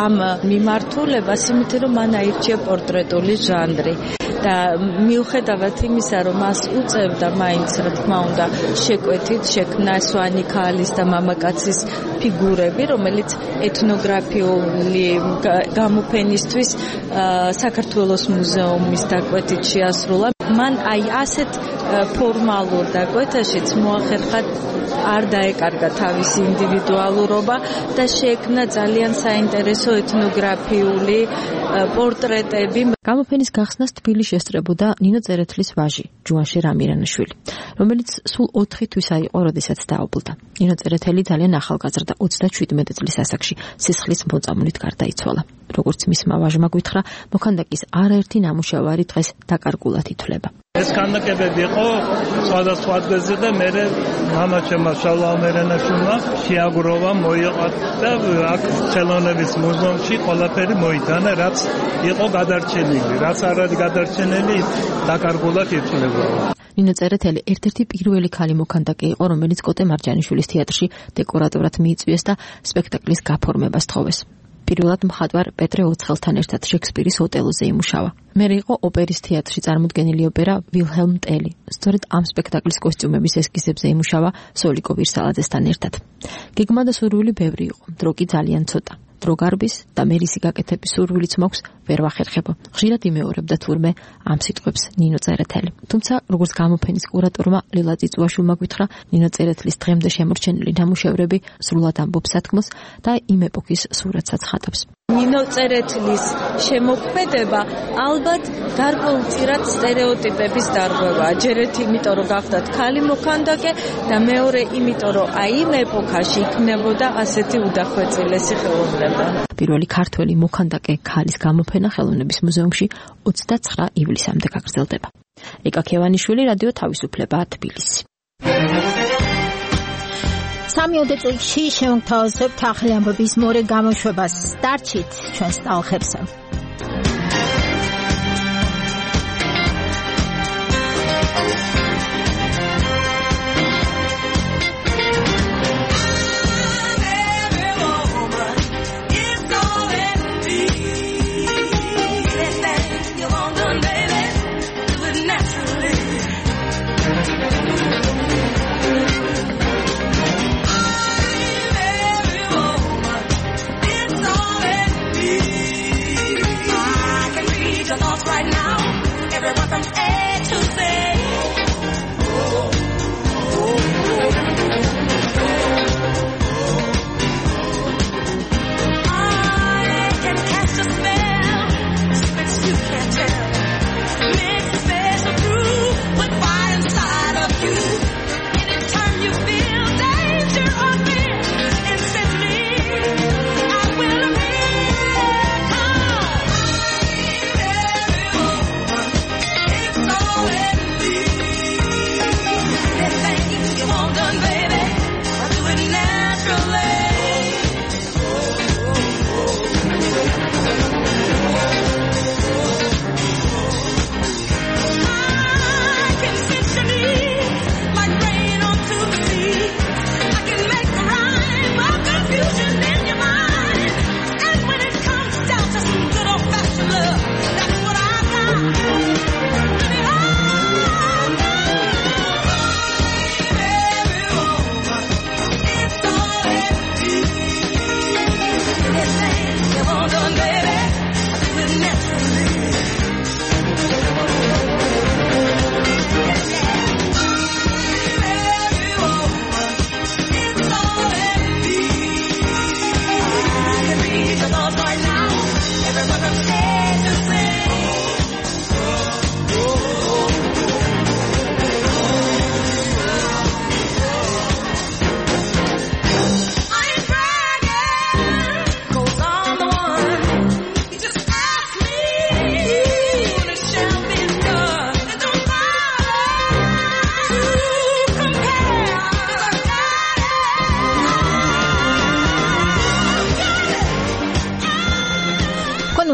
ამ მიმართულებას, იმიტომ რომ მან აირჩია პორტრეტული ჟანრი და მიუხედავად იმისა, რომ მას უწევდა მაინც რა თქმა უნდა შეკვეთით შექმნა სვანი ქალის და მამაკაცის ფიგურები, რომელიც ეთნოგრაფიული გამოფენისთვის საქართველოს მუზეუმის დაკვეთით შეასრულა. მან აი ასეთ ფორმალურ დაკვეთაშიც მოახერხა არ დაეკარგა თავისი ინდივიდუალურობა და შექმნა ძალიან საინტერესო ეთნოგრაფიული პორტრეტები. გამოფენის გახსნას თბილისში ესწრებოდა ნინო წერეთლის ვაჟი, ჯუანშერ ამირანაშვილი, რომელიც სულ ოთხი თვისა იყო, როდესაც დაობლდა. ნინო წერეთელი ძალიან ახალგაზრდა ოცდაშვიდმეტი წლის ასაკში სისხლის მოწამვლით გარდაიცვალა. როგორც მისმა ვაჟმა გითხრა, მოქანდაკის არაერთი ნამუშევარი დღეს დაკარგულად ითვლება. ეს ქანდაკებები იყო სხვადასხვა ადგილზე და მე მამაჩემმა შალვა ამირანაშვილმა შეაგროვა, მოიყვა და აქ ხელოვნების მუზეუმში ყველაფერი მოიტანა, რაც იყო გადარჩენილი, რაც არ არის გადარჩენილი, დაკარგულად ითვლება. ნინო წერეთელი ერთ-ერთი პირველი ქალი მოქანდაკე იყო, რომელიც კოტე მარჯანიშვილის თეატრში დეკორატორად მიიწვიეს და სპექტაკლის გაფორმებას თხოვეს. პირველად მხატვარ პეტრე ოცხელთან ერთად შექსპირის ოტელოზე იმუშავა. მერე იყო ოპერის თეატრში წარმოდგენილი ოპერა ვილჰელმ ტელი. სწორედ ამ სპექტაკლის კოსტიუმების ესკიზებზე იმუშავა სოლიკო ვირსალაძესთან ერთად. გეგმა და სურვილი ბევრი იყო, დრო კი ძალიან ცოტა. დრო გარბის და მერისი გაკეთების სურვილიც მაქვს, ვერ ვახერხებო. ხშირად იმეორებდა თურმე ამ სიტყვებს ნინო წერეთელი. თუმცა, როგორც გამოფენის კურატორმა ლელა წიწუაშვილმა გითხრა, ნინო წერეთლის დღემდე შემორჩენილი ნამუშევრები სრულად ამბობს სათქმოს და იმ ეპოქის სურათსაც ხატავს. ნინო წერეთლის შემოქმედება ალბათ გარკვეულწილად სტერეოტიპების დარღვევაა. ჯერ ერთი იმიტომ, რომ გახდათ ქალი მოქანდაკე და მეორე იმიტომ, რომ აი იმ ეპოქაში იქნებოდა ასეთი უდახვეწილესი ხელოვნება. პირველი ქართველი მოქანდაკე ქალის გამოფენა ხელოვნების მუზეუმში ოცდაცხრა ივლისამდე გაგრძელდება. ეკა ქევანიშვილი, რადიო თავისუფლება, თბილისი. სამიოდე წუთში შევთავაზებთ ახალი ამბების მორე გამოშვებას. დარჩით ჩვენს ტალღებზე. It's all in me.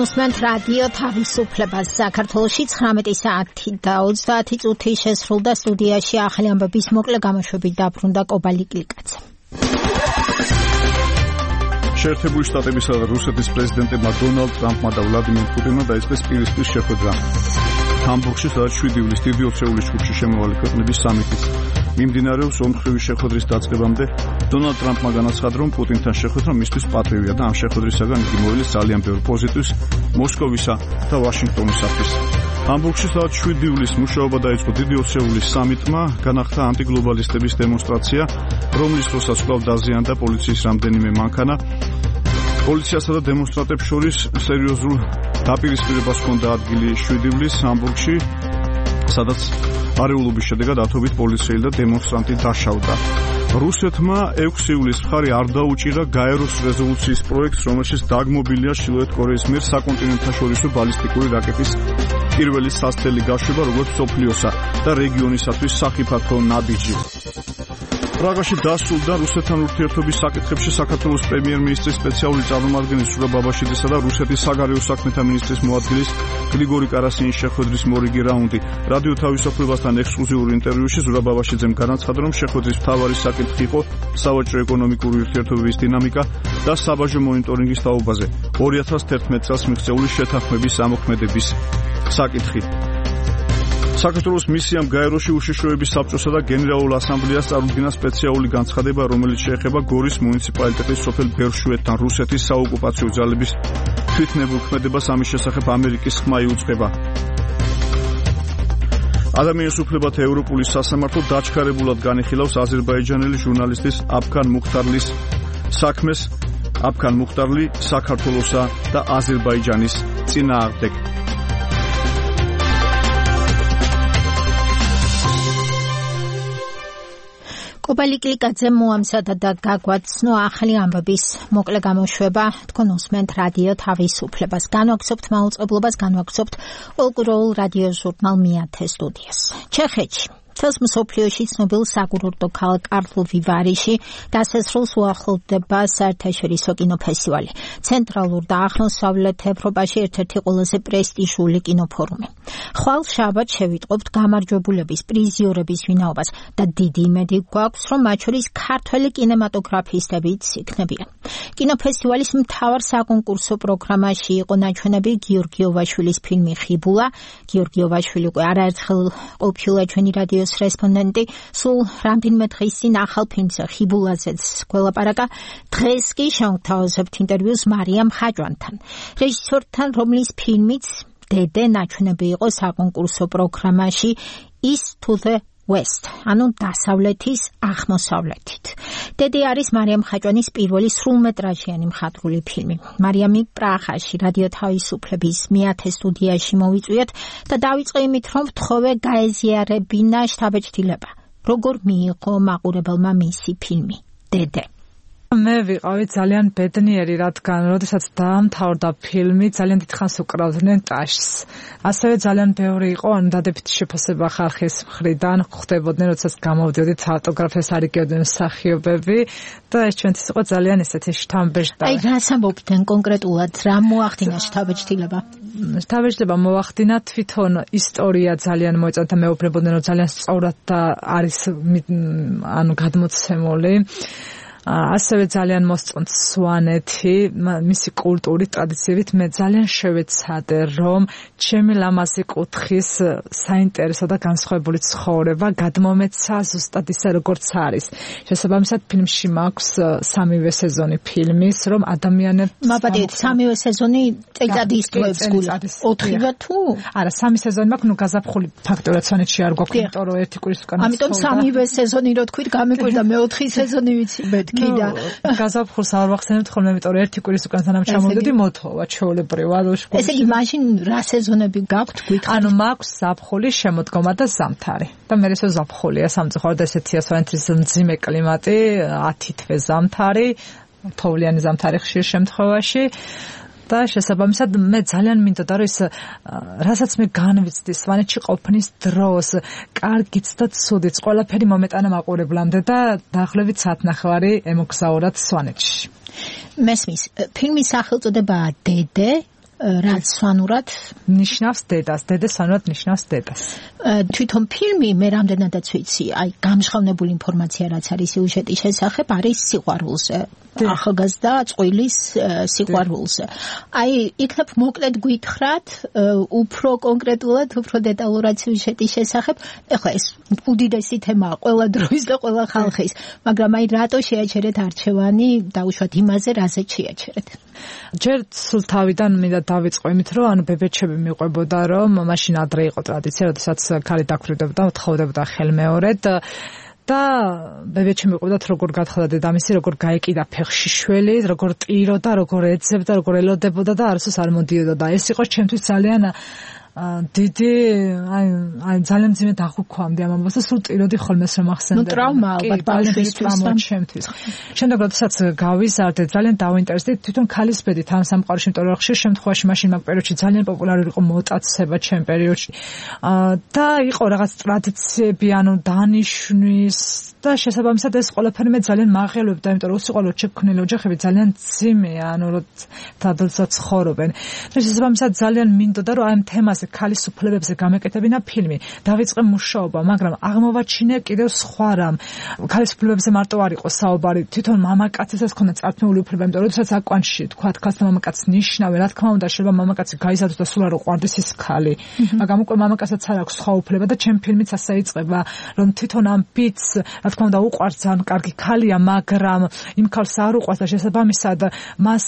უსმენთ რადიო თავისუფლებას. საქართველოში ცხრამეტი საათი და ოცდაათი წუთი შესრულდა. სტუდიაში ახალი ამბების მოკლე გამოშვებით დაბრუნდა კობალი კლიკაძე. შეერთებული შტატებისა და რუსეთის პრეზიდენტებმა დონალდ ტრამპმა და ვლადიმერ პუტინმა დაიწყეს პირისპირ შეხვედრა ჰამბურგში, სადაც შვიდი ივლისს დიდი ოცეულის ჯგუფში შემოვალი ქვეყნების სამიტის მიმდინარეობს. ორმხრივი შეხვედრის დაწყებამდე დონალდ ტრამპმა განაცხადა, რომ პუტინთან შეხვედრა მისთვის პატივია და ამ შეხვედრისაგან იგი მოელის ძალიან ბევრ პოზიტივს მოსკოვისა და ვაშინგტონისათვის. ჰამბურგში, სადაც შვიდი ივლისს მუშაობა დაიწყო დიდი ოცეულის სამიტმა, განახდა ანტიგლობალისტების დემონსტრაცია, რომლის დროსაც კვლავ დაზიანდა პოლიციის რამდენიმე მანქანა. პოლიციასა და დემონსტრანტებს შორის სერიოზულ დაპირისპირებას ჰქონდა ადგილი შვიდი ივლისს ჰამბურგში, სადაც არეულობის შედეგად ათობით პოლიციელი და დემონსტრანტი დაშავდა. რუსეთმა ექვსი ივლისს მხარი არ დაუჭირა გაეროს რეზოლუციის პროექტს, რომელშიც დაგმობილია ჩრდილოეთ კორეის მიერ საკონტინენტთაშორისო ბალისტიკური რაკეტის პირველი სასწრელი გაშვება, როგორც მსოფლიოსა და რეგიონისათვის სახიფათო ნაბიჯი. პრაღაში დასრულდა რუსეთთან ურთიერთობის საკითხებში საქართველოს პრემიერ-მინისტრის სპეციალური წარმომადგენლის ზურაბ ბაბაშიძისა და რუსეთის საგარეო საქმეთა მინისტრის მოადგილის გრიგორი კარასინის შეხვედრის მორიგი რაუნდი. რადიო თავისუფლებასთან ექსკლუზიურ ინტერვიუში ზურაბ ბაბაშიძემ განაცხადა, რომ შეხვედრის მთავარი საკითხი იყო სავაჭრო ეკონომიკური ურთიერთობების დინამიკა და საბაჟო მონიტორინგის თაობაზე. ორი ათას თერთმეტ წელს მიღწეული შეთანხმების ამოქმედების საკითხი. საქართველოს მისიამ გაეროში უშიშროების საბჭოსა და გენერალურ ასამბლეას წარუდგინა სპეციალური განცხადება, რომელიც შეეხება გორის მუნიციპალიტეტის სოფელ ბერშვეთთან რუსეთის საოკუპაციო ძალების თვითნებურქმედებას. ამის შესახებ ამერიკის ხმა იუწყება. ადამიანის უფლებათა ევროპული სასამართლო დაჩქარებულად განიხილავს აზერბაიჯანელი ჟურნალისტის აფქან მუხტარლის საქმეს. აფქან მუხტარლი საქართველოსა და აზერბაიჯანის წინააღმდეგ. კობალი კლიკაძე მოამზადა და გაგვაცნო ახალი ამბების მოკლე გამოშვება. თქვენ უსმენთ რადიო თავისუფლებას. განვაგრძობთ მაუწყებლობას, განვაგრძობთ ოლკუროულ რადიო ჟურნალ მეათე სტუდიას. ჩეხეთში თელს მსოფლიოში ცნობილ საკურორტო ქალაქ კარლოვი ვარიში დასასრულს უახლოვდება საერთაშორისო კინოფესტივალი. ცენტრალურ და აღმოსავლეთ ევროპაში ერთ-ერთი ყველაზე პრესტიჟული კინოფორუმი. ხვალ შაბათს შევიტყობთ გამარჯვებულების პრიზიორების ვინაობას და დიდი იმედი გვაქვს, რომ მათ შორის ქართველი კინემატოგრაფისტებიც იქნებიან. კინოფესტივალის მთავარ საკონკურსო პროგრამაში იყო ნაჩვენები გიორგიოვაშვილის ფილმი ხიბულა. გიორგიოვაშვილი უკვე არაერთხელ ყოფილა ჩვენი რადიო რესპონდენტი, სულ რამდენიმე დღის წინ ახალ ფილმზე ხიბულაზეც გველაპარაკა. დღეს კი შევთავაზებთ ინტერვიუს მარიამ ხაჭვანთან, რეჟისორთან, რომლის ფილმიც დედე ნაჩვენები იყო საკონკურსო პროგრამაში East to the West, ანუ დასავლეთის აღმოსავლეთით. დედე არის მარიამ ხაჭვანის პირველი სრულმეტრაჟიანი მხატვრული ფილმი. მარიამი პრაღაში რადიო თავისუფლების მეათე სტუდიაში მოვიწვიეთ და დავიწყე იმით, რომ ვთხოვე გაეზიარებინა შთაბეჭდილება. როგორ მიიღო მაყურებელმა მისი ფილმი დედე? მე ვიყავი ძალიან ბედნიერი, რადგან როდესაც დაამთავრდა ფილმი, ძალიან დიდხანს უკრავდნენ ტაშს. ასევე ძალიან ბევრი იყო დადებითი შეფასება ხალხის მხრიდან, ხვდებოდნენ, როდესაც გამოვდიოდით ავტოგრაფებს არიგებდნენ მსახიობები და ეს ჩვენთვის იყო ძალიან ესეთი შთამბეჭდა. აი, რას ამბობდნენ კონკრეტულად, რა მოახდინა შთაბეჭდილება? შთაბეჭდილება მოახდინა, თვითონ ისტორია ძალიან მოეწონათ და მეუბნებოდნენ, რომ ძალიან სწორად და არის ანუ გადმოცემული. ასევე ძალიან მოსწონთ სვანეთი, მისი კულტურით, ტრადიციებით. მე ძალიან შევეცადე, რომ ჩემი ლამაზი კუთხის საინტერესო და განსხვავებული ცხოვრება გადმომეცა ზუსტად ისე, როგორც არის. შესაბამისად, ფილმში მაქვს სამივე სეზონი ფილმის, რომ ადამიანებს მაპატიეთ, სამივე სეზონი წელიწად ისწრებს გულს. ოთხივე თუ? არა, სამი სეზონი მაქვს, ნუ გაზაფხული ფაქტობრივად სვანეთში არ გვაქვს, იმიტომ რომ ერთი კვირის უკან. ამიტომ სამივე სეზონი რო თქვით, გამიკვირდა მეოთხე სეზონი ვიცი ბეთ. კიდე გაზაფხულს არ ვახსენებთ ხოლმე, იმიტომ რომ ერთი კვირის უკან სანამ ჩამოვიდოდი მოთხოვა ჩვეულებრივად. ესე იგი მაშინ რა სეზონები გაქვთ გვითხრათ? ანუ მაქვს ზაფხული, შემოდგომა და ზამთარი. და მე ესე ზაფხულია, სამწუხაროდ ესეთია სვანეთის მძიმე კლიმატი, ათი თვე ზამთარი, თოვლიანი ზამთარი ხშირ შემთხვევაში. და შესაბამისად მე ძალიან მინდოდა რომ ის რასაც მე განვიცდი სვანეთში ყოფნის დროს, კარგიც და ცუდიც, ყველაფერი მომეტანა მაყურებლამდე და დაახლოებით საათნახევარი ემოგზაურათ სვანეთში. მესმის, ფილმის სახელწოდებაა დედე, რაც სვანურად ნიშნავს დედას, დედა სვანურად ნიშნავს დედას. თვითონ ფილმი მე რამდენადაც ვიცი, აი გამჟღავნებული ინფორმაცია რაც არის სიუჟეტის შესახებ არის სიყვარულზე. ახალგაზრდა წყვილის სიყვარულზე. აი იქნებ მოკლედ გითხრათ უფრო კონკრეტულად, უფრო დეტალურად სიუჟეტის შესახებ. ეხლა ეს უდიდესი თემაა ყველა დროის და ყველა ხალხის, მაგრამ აი რატო შეაჩერეთ არჩევანი დაუშვათ იმაზე, რაზეც შეაჩერეთ. ჯერ სულ თავიდან მინდა დავიწყო იმით, რომ ანუ ბებეჩები მიყვებოდა, რომ მაშინ ადრე იყო ტრადიცია, როდესაც ქალი დაქვრივდებოდა, თხოვდებოდა ხელმეორედ და ბებეჩი მიყვებდათ როგორ გათხდა დედამისი, როგორ გაეკიდა ფეხში შველი, როგორ ტიროდა, როგორ ეძებდა, როგორ ელოდებოდა და არასდროს არ მოდიოდა და ეს იყო ჩემთვის ძალიან დიდი აი აი ძალიან ძიმე დაღუპვამდე ამ ამბავს და სულ ტიროდი ხოლმე რომ ახსენდა. ნუ ტრავმა ალბათ ბავშვისთვის და ჩემთვის. შემდეგ როდესაც გავიზარდე ძალიან დავინტერესდი თვითონ ქალის ბედით ამ სამყაროში, იმიტომ რომ ხშირ შემთხვევაში მაშინ მაგ პერიოდში ძალიან პოპულარული იყო მოტაცება ჩემ პერიოდში. და იყო რაღაც ტრადიციები, ანუ დანიშნვის და შესაბამისად ეს ყველაფერი მე ძალიან მაღელვებდა, იმიტომ რომ უსიყვარულოდ შექმნილი ოჯახები ძალიან ძიმეა, ანუ როდესაც ცხოვრობენ. და შესაბამისად ძალიან მინდოდა რომ აი ამ თემაზე ქალის უფლებებზე გამეკეთებინა ფილმი. დავიწყე მუშაობა, მაგრამ აღმოვაჩინე კიდევ სხვა რამ. ქალის უფლებებზე მარტო არ იყო საუბარი, თვითონ მამაკაცსაც ჰქონდა წარქმეული უფლება, იმიტომ რომ როდესაც აკვანში თქვა ქალს და მამაკაცს ნიშნავენ, რა თქმა უნდა შეიძლება მამაკაცი გაიზარდოს და სულ არ უყვარდეს ის ქალი. მაგრამ უკვე მამაკაცსაც არ აქვს სხვა უფლება და ჩემ ფილმიც ასე იწყება, რომ თვითონ ამ ბიჭს რა თქმა უნდა უყვარს ძალიან კარგი ქალია, მაგრამ იმ ქალს არ უყვარს და შესაბამისად მას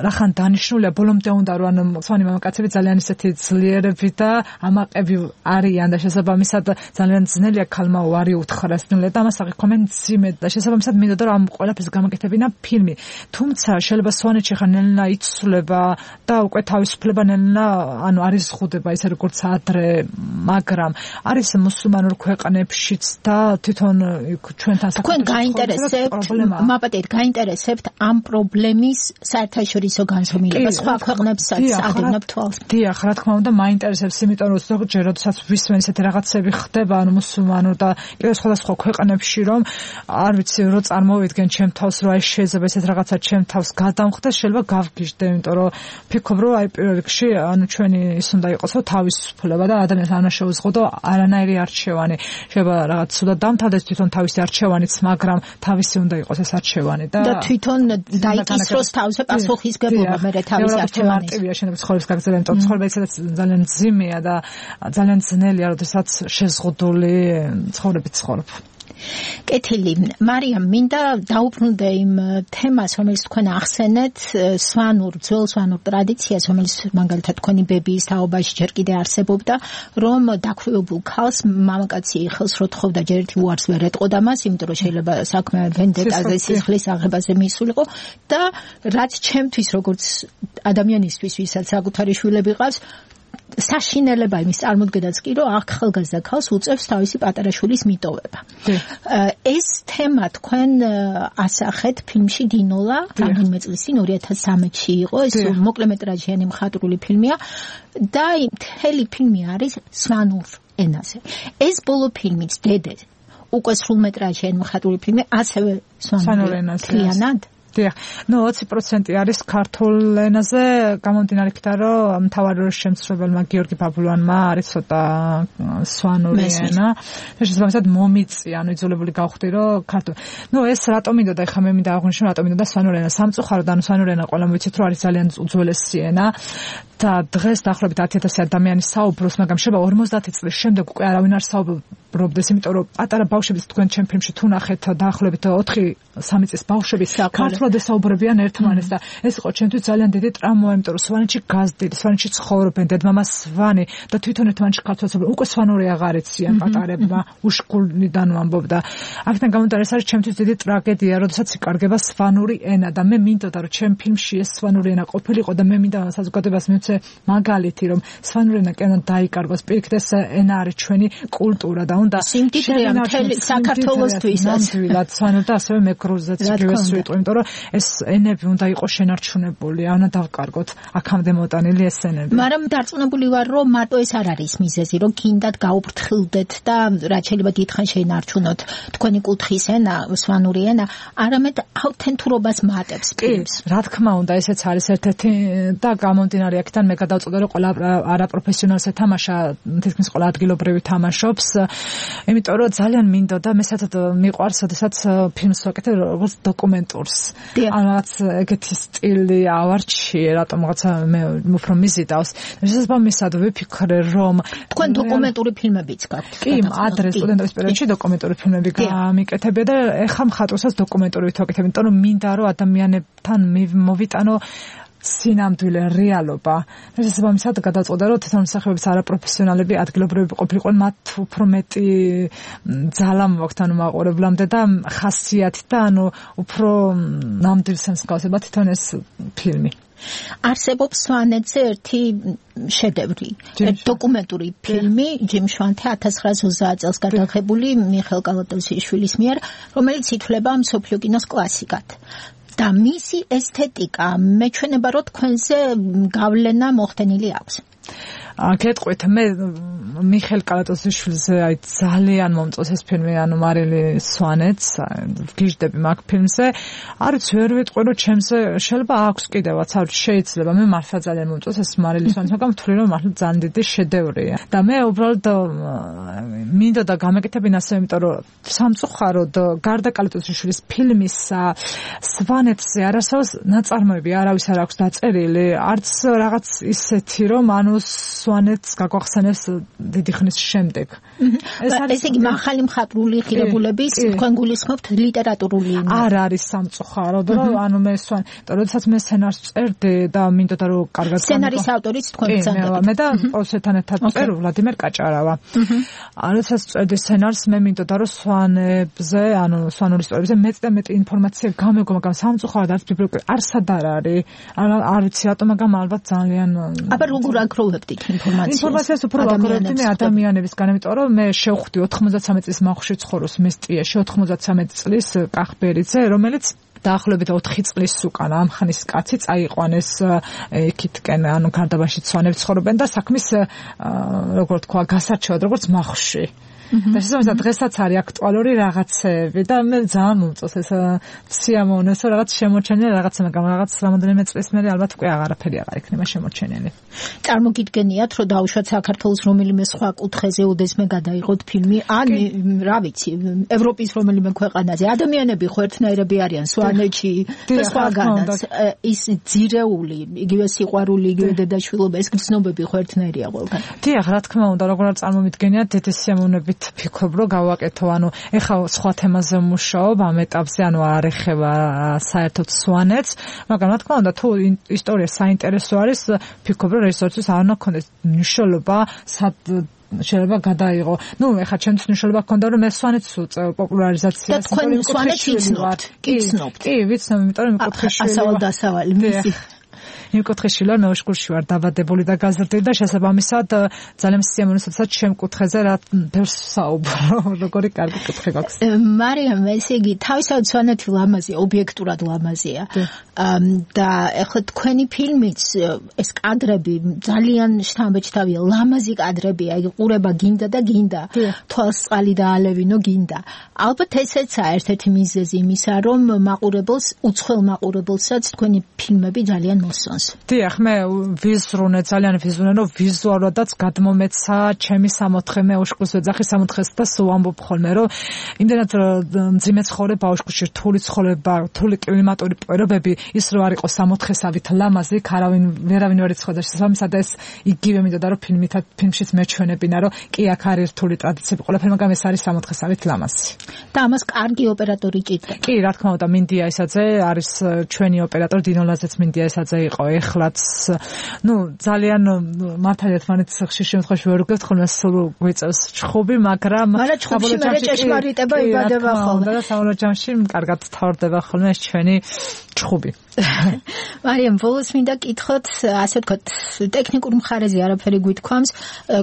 რახან დანიშნულია ბოლომდე უნდა რომ ანუ სხვანი მამაკაცები ძალიან ისეთი ძლიერ და ამაყები არიან და შესაბამისად ძალიან ძნელია ქალმა უარი უთხრას ნელა და ამას აღიქომენ ძიმედ და შესაბამისად მინდოდა რომ ამ ყველაფერს გამეკეთებინა ფილმი. თუმცა შეიძლება სვანეთში ხან ნელა იცვლება და უკვე თავისუფლება ნელა ანუ არის ზღუდება ისე როგორც ადრე, მაგრამ არის მუსულმანურ ქვეყნებშიც და თვითონ ჩვენთან თქვენ გაინტერესებთ მაპატეთ გაინტერესებთ ამ პრობლემის საერთაშორისო განხილვა სხვა ქვეყნებსაც ადევნებთ თვალს. დიახ, რა თქმა უნდა მაინტერესებს, იმიტომ რომ ზოგჯერ როდესაც ვისმენ ესეთი რაღაცები ხდება, ანუ მუსულმანურ და კიდევ სხვადასხვა ქვეყნებში, რომ არ ვიცი, რო წარმოვიდგენ ჩემ თავს, რომ აი შეიძლება ესეთ რაღაცა ჩემ თავს გადამხდეს, შეიძლება გავგიჟდე, იმიტომ რომ ფიქრობ, რომ აი პირველ რიგში, ანუ ჩვენი ის უნდა იყოს, რომ თავისუფლება და ადამიანს არ უნდა შეუზღუდო არანაირი არჩევანი. შეიძლება რაღაც ცუდად დამთავრდეს თვითონ თავისი არჩევანიც, მაგრამ თავისი უნდა იყოს ეს არჩევანი და და თვითონ დაიკისროს თავზე პასუხისგებლობა მე თავის არჩევანის. მარტივია შეიძლება ცხოვრების გაგრძელება, იმიტომ რომ ცხოვრება ისედაც ძალიან ძიმეა და ძალიან ძნელია, როდესაც შეზღუდული ცხოვრებით ცხოვრობ. კეთილი, მარიამ, მინდა დაუბრუნდე იმ თემას, რომელიც თქვენ ახსენეთ, სვანურ, ძველ სვანურ ტრადიციას, რომელიც მაგალითად თქვენი ბებიის თაობაში ჯერ კიდე არსებობდა, რომ დაქვრივებულ ქალს მამაკაცი ხელს რო თხოვდა, ჯერ ერთი უარს ვერ ეტყოდა მას, იმიტომ რომ შეიძლება საქმე ვენდეტაზე, სისხლის აღებაზე მისულიყო და რაც ჩემთვის როგორც ადამიანისთვის, ვისაც საკუთარი შვილები ყავს, საშინელება იმის წარმოდგენაც კი რომ ახალგაზრდა ქალს უწევს თავისი პატარა შვილის მიტოვება. ეს თემა თქვენ ასახეთ ფილმში დინოლა, რამდენიმე წლის წინ ორი ათას სამში იყო, ეს მოკლემეტრაჟიანი მხატვრული ფილმია და მთელი ფილმი არის სვანურ ენაზე. ეს ბოლო ფილმიც დედე უკვე სრულმეტრაჟიანი მხატვრული ფილმი ასევე სვანურ ენაზე. დიახ, ნუ ოცი პროცენტი არის ქართულ ენაზე, გამომდინარე იქიდან, რომ მთავარი როლის შემსრულებელმა გიორგი ბაბლუანმა არის ცოტა სვანური ენა. შესაბამისად მომიწია, ანუ იძულებული გავხდი, რომ ქართულ. ნუ ეს რატომ მინდოდა, ეხლა მე მინდა აღვნიშნო, რატომ მინდოდა სვანური ენა. სამწუხაროდ, ანუ სვანური ენა ყველამ ვიცით, რომ არის ძალიან უძველესი ენა და დღეს დაახლოებით ათი ათასი ადამიანი საუბრობს, მაგრამ შეიძლება ორმოცდაათი წლის შემდეგ უკვე არავინ არ საუბრობდეს, იმიტომ რომ პატარა ბავშვებიც თქვენ ჩემ ფილმში თუ ნახეთ დაახლოებით ოთხი სამი წლის ბავშვები ქართულად ესაუბრებიან ერთმანეთს და ეს იყო ჩემთვის ძალიან დიდი ტრამვა, იმიტომ რომ სვანეთში გაზრდილი, სვანეთში ცხოვრობენ, დედმამა სვანი და თვითონ ერთმანეთში ქართულად საუბრობენ. უკვე სვანური აღარ ეციან პატარებმა, უშკუნიდან ვამბობდა. აქედან გამომდინარე, ეს არის ჩემთვის დიდი ტრაგედია, როდესაც იკარგება სვანური ენა და მე მინდოდა რომ ჩემ ფილმში ეს სვანური ენა ყოფილიყო და მე მინდა საზოგადოებას მივცე მაგალითი, რომ სვანური ენა კენა დაიკარგოს. პირიქით ეს ენა არის ჩვენი კულტურა და უნდა სიმდიდრეა მთელი საქართველოსთვის. ნამდვილად სვანურ და ასევე მეგრულზეც იგივე სიტყვა, იმიტომ რომ ეს ენები უნდა იყოს შენარჩუნებული, ანა დავკარგოთ აქამდე მოტანილი ეს ენები. მაგრამ დარწმუნებული ვარ, რომ მარტო ეს არ არის მიზეზი, რომ გინდათ გაუფრთხილდეთ და რაც შეიძლება დიდხანს შეინარჩუნოთ თქვენი კუთხის ენა, სვანური ენა, არამედ ავთენტურობას მატებს ფილმს. რა თქმა უნდა, ესეც არის ერთ-ერთი და გამომდინარე აქედან მე გადავწყვიტე, რომ ყველა არაპროფესიონალს ეთამაშა, თითქმის ყველა ადგილობრივი თამაშობს, იმიტომ რომ ძალიან მინდოდა, მე საერთოდ მიყვარს, როდესაც ფილმს ვაკეთებ როგორც დოკუმენტურს. ან რაღაც ეგეთი სტილი ავარჩიე, რატომღაცა მე უფრო მიზიდავს. შესაბამისად ვიფიქრე, რომ თქვენ დოკუმენტური ფილმებიც გაქვთ. კი, ადრე სტუდენტობის პერიოდში დოკუმენტური ფილმები გამიკეთებია და ეხლა მხატვრსაც დოკუმენტური ვაკეთებ, იმიტომ რომ მინდა რომ ადამიანებთან მოვიტანო სინამდვილე რეალობა. შესაბამისად გადაწყვეტა, რომ თვითონმსახურების არაპროფესიონალები ადგილობრივები ყოფილიყვნენ, მათ უფრო მეტი ძალა მოაქვთ ანუ მაყურებლამდე და ხასიათი და ანუ უფრო ნამდვილს მსგავსება თვითონ ეს ფილმი. არსებობს სვანეთზე ერთი შედევრი, დოკუმენტური ფილმი ჯიმ შვანთე ათას ცხრაას ოცდაათ წელს გადაღებული მიხეილ კალატოზიშვილის მიერ, რომელიც ითვლება მსოფლიო კინოს კლასიკად. და მისი ესთეტიკა მეჩვენება, რომ თქვენზე გავლენა მოხდენილი აქვს. გეტყვით, მე მიხეილ კალატოზიშვილზე აი ძალიან მომწონს ეს ფილმი, ანუ მარილი სვანეთს, გიждები მაგ ფილმზე. არც ვერ ვიტყვი, რომ ჩემზე შეიძლება აქვს კიდევაც, არ შეიძლება, მე მართლა ძალიან მომწონს ეს მარილი სვანეთს, მაგრამ ვთვლი, რომ მართლა ძალიან დიდი შედევრია. და მე უბრალოდ მინდოდა გამეკეთებინა ასე, იმიტომ რომ სამწუხაროდ გარდა კალატოზიშვილის ფილმის სვანეთზე არ არსებობს ნაწარმოები, არავის არ აქვს დაწერილი, არც რაღაც ისეთი, რომ ანუ სვანეთს გაგვახსენებს დიდი ხნის შემდეგ. ესე იგი მაღალი მხატვრული ღირებულების თქვენ გულისხმობთ ლიტერატურული ენა. არ არის სამწუხაროდ, რომ ანუ მე სვან, როდესაც მე სცენარს წერდი და მინდოდა რომ კარგად სცენარის ავტორიც თქვენ ბრძანდებით. მე და პროდუცერთან ერთად წერ ვლადიმერ კაჭარავა. როდესაც წერდი სცენარს, მე მინდოდა რომ სვანებზე, ანუ სვანური ისტორიებზე მეც და მეტი ინფორმაცია გამეგო, მაგრამ სამწუხაროდ არც ბიბლიოთეკა არსად არ არის. არ ვიცი რატომ, მაგრამ ალბათ ძალიან აბა როგორ აგროვებდით ინფორმაციას? ინფორმაციას უფრო ვაგროვებდი მე ადამიანებისგან, იმიტომ რომ მე შევხვდი ოთხმოცდათსამეტ წლის მახუში ცხოვრობს მესტიაში, ოთხმოცდათსამეტ წლის კახბერიძე, რომელიც დაახლოებით ოთხი წლის უკან ამ ხნის კაცი წაიყვანეს იქითკენ, ანუ გარდაბანში სვანები ცხოვრობენ და საქმის როგორ თქვა, გასარჩევად როგორც მახუში. და შესაძლოა დღესაც არის აქტუალური რაღაცები და მე ძალიან მომწონს ეს სიამოვნოს, რომ რაღაც შემოჩენილი რაღაცა, მაგრამ რაღაც რამოდენიმე წლის მერე ალბათ უკვე აღარაფერი აღარ იქნება შემოჩენილი. წარმოგიდგენიათ, რომ დაუშვათ საქართველოს რომელიმე სხვა კუთხეზე ოდესმე გადაიღოთ ფილმი, ან რა ვიცი, ევროპის რომელიმე ქვეყანაზე. ადამიანები ხო ერთნაირები არიან სვანეთში და სხვაგანაც. ის ძირეული, იგივე სიყვარული, იგივე დედაშვილობა, ეს გრძნობები ხო ერთნაირია ყველგან. დიახ, რა თქმა უნდა, როგორ არ წარმომიდგენიათ, დიდი სიამოვნებით ფიქრობ, რომ გავაკეთო, ანუ ეხლა სხვა თემაზე მუშაობ ამ ეტაპზე, ანუ არ ეხება საერთოდ სვანეთს, მაგრამ რა თქმა უნდა, თუ ისტორია საინტერესო არის, ფიქრობ, რომ რეჟისორისთვის არ უნდა ქონდეს მნიშვნელობა, სად შეიძლება გადაიღო. ნუ ეხლა ჩემთვის მნიშვნელობა ჰქონდა, რომ მე სვანეთს უწევ პოპულარიზაციას. და თქვენ სვანეთს იცნობთ? კი, იცნობთ. კი, ვიცნობ, იმიტომ რომ მიკუთხეშვილი ასავალ დასავალი მისი. მიკუთხეშვილი ვარ, მეოშკურში ვარ დაბადებული და გაზრდილი და შესაბამისად ძალიან სიამოვნებაა, როდესაც ჩემ კუთხეზე რა ბევრს საუბრო, როგორი კარგი კუთხე გაქვს. მარიამ, ესე იგი, თავისთავად სვანეთი ლამაზია, ობიექტურად ლამაზია. და ეხლა თქვენი ფილმიც ეს კადრები ძალიან შთამბეჭდავია, ლამაზი კადრებია, იგი ყურება გინდა და გინდა. თვალს წყალი დაალევინო გინდა. ალბათ ესეცაა ერთ-ერთი მიზეზი იმისა, რომ მაყურებელს, უცხოელ მაყურებელსაც თქვენი ფილმები ძალიან მოსწონს. დიახ, მე ვიზრუნე, ძალიან ვიზრუნე, რომ ვიზუალურადაც გადმომეცა ჩემი სამოთხე, მე უშკულს ვეძახი სამოთხეს და სულ ამბობ ხოლმე, რომ იმდენად მძიმე ცხოვრება, უშკულში რთული ცხოვრება, რთული კლიმატური პირობები, ის რო არ იყო სამოთხესავით ლამაზი, არავინ ვერავინ ვერ იცოდა შესაბამისად ეს იგივე მინდოდა, რომ ფილმითაც ფილმშიც მეჩვენებინა, რომ კი აქ არის რთული ტრადიციები ყველაფერი, მაგრამ ეს არის სამოთხესავით ლამაზი. და ამას კარგი ოპერატორი ჭირდება. კი, რა თქმა უნდა, მინდია ესაძე არის ჩვენი ოპერატორი, დინო ლაზეც მინდია ესაძე იყო ეხლაც ну ძალიან მართალია თმანეთს ხშირ შემთხვევაში ვერ ვგებთ ხოლმე სულ გვიწევს ჩხუბი მაგრამ მაგრამ ჩხუბში მე ჭეშმარიტება იბადება ხოლმე და საბოლოო ჯამში კარგად თავდება ხოლმე ეს ჩვენი ჩხუბი მარიამ ბოლოს მინდა კითხოთ ასე ვთქვათ ტექნიკურ მხარეზე არაფერი გვითქვამს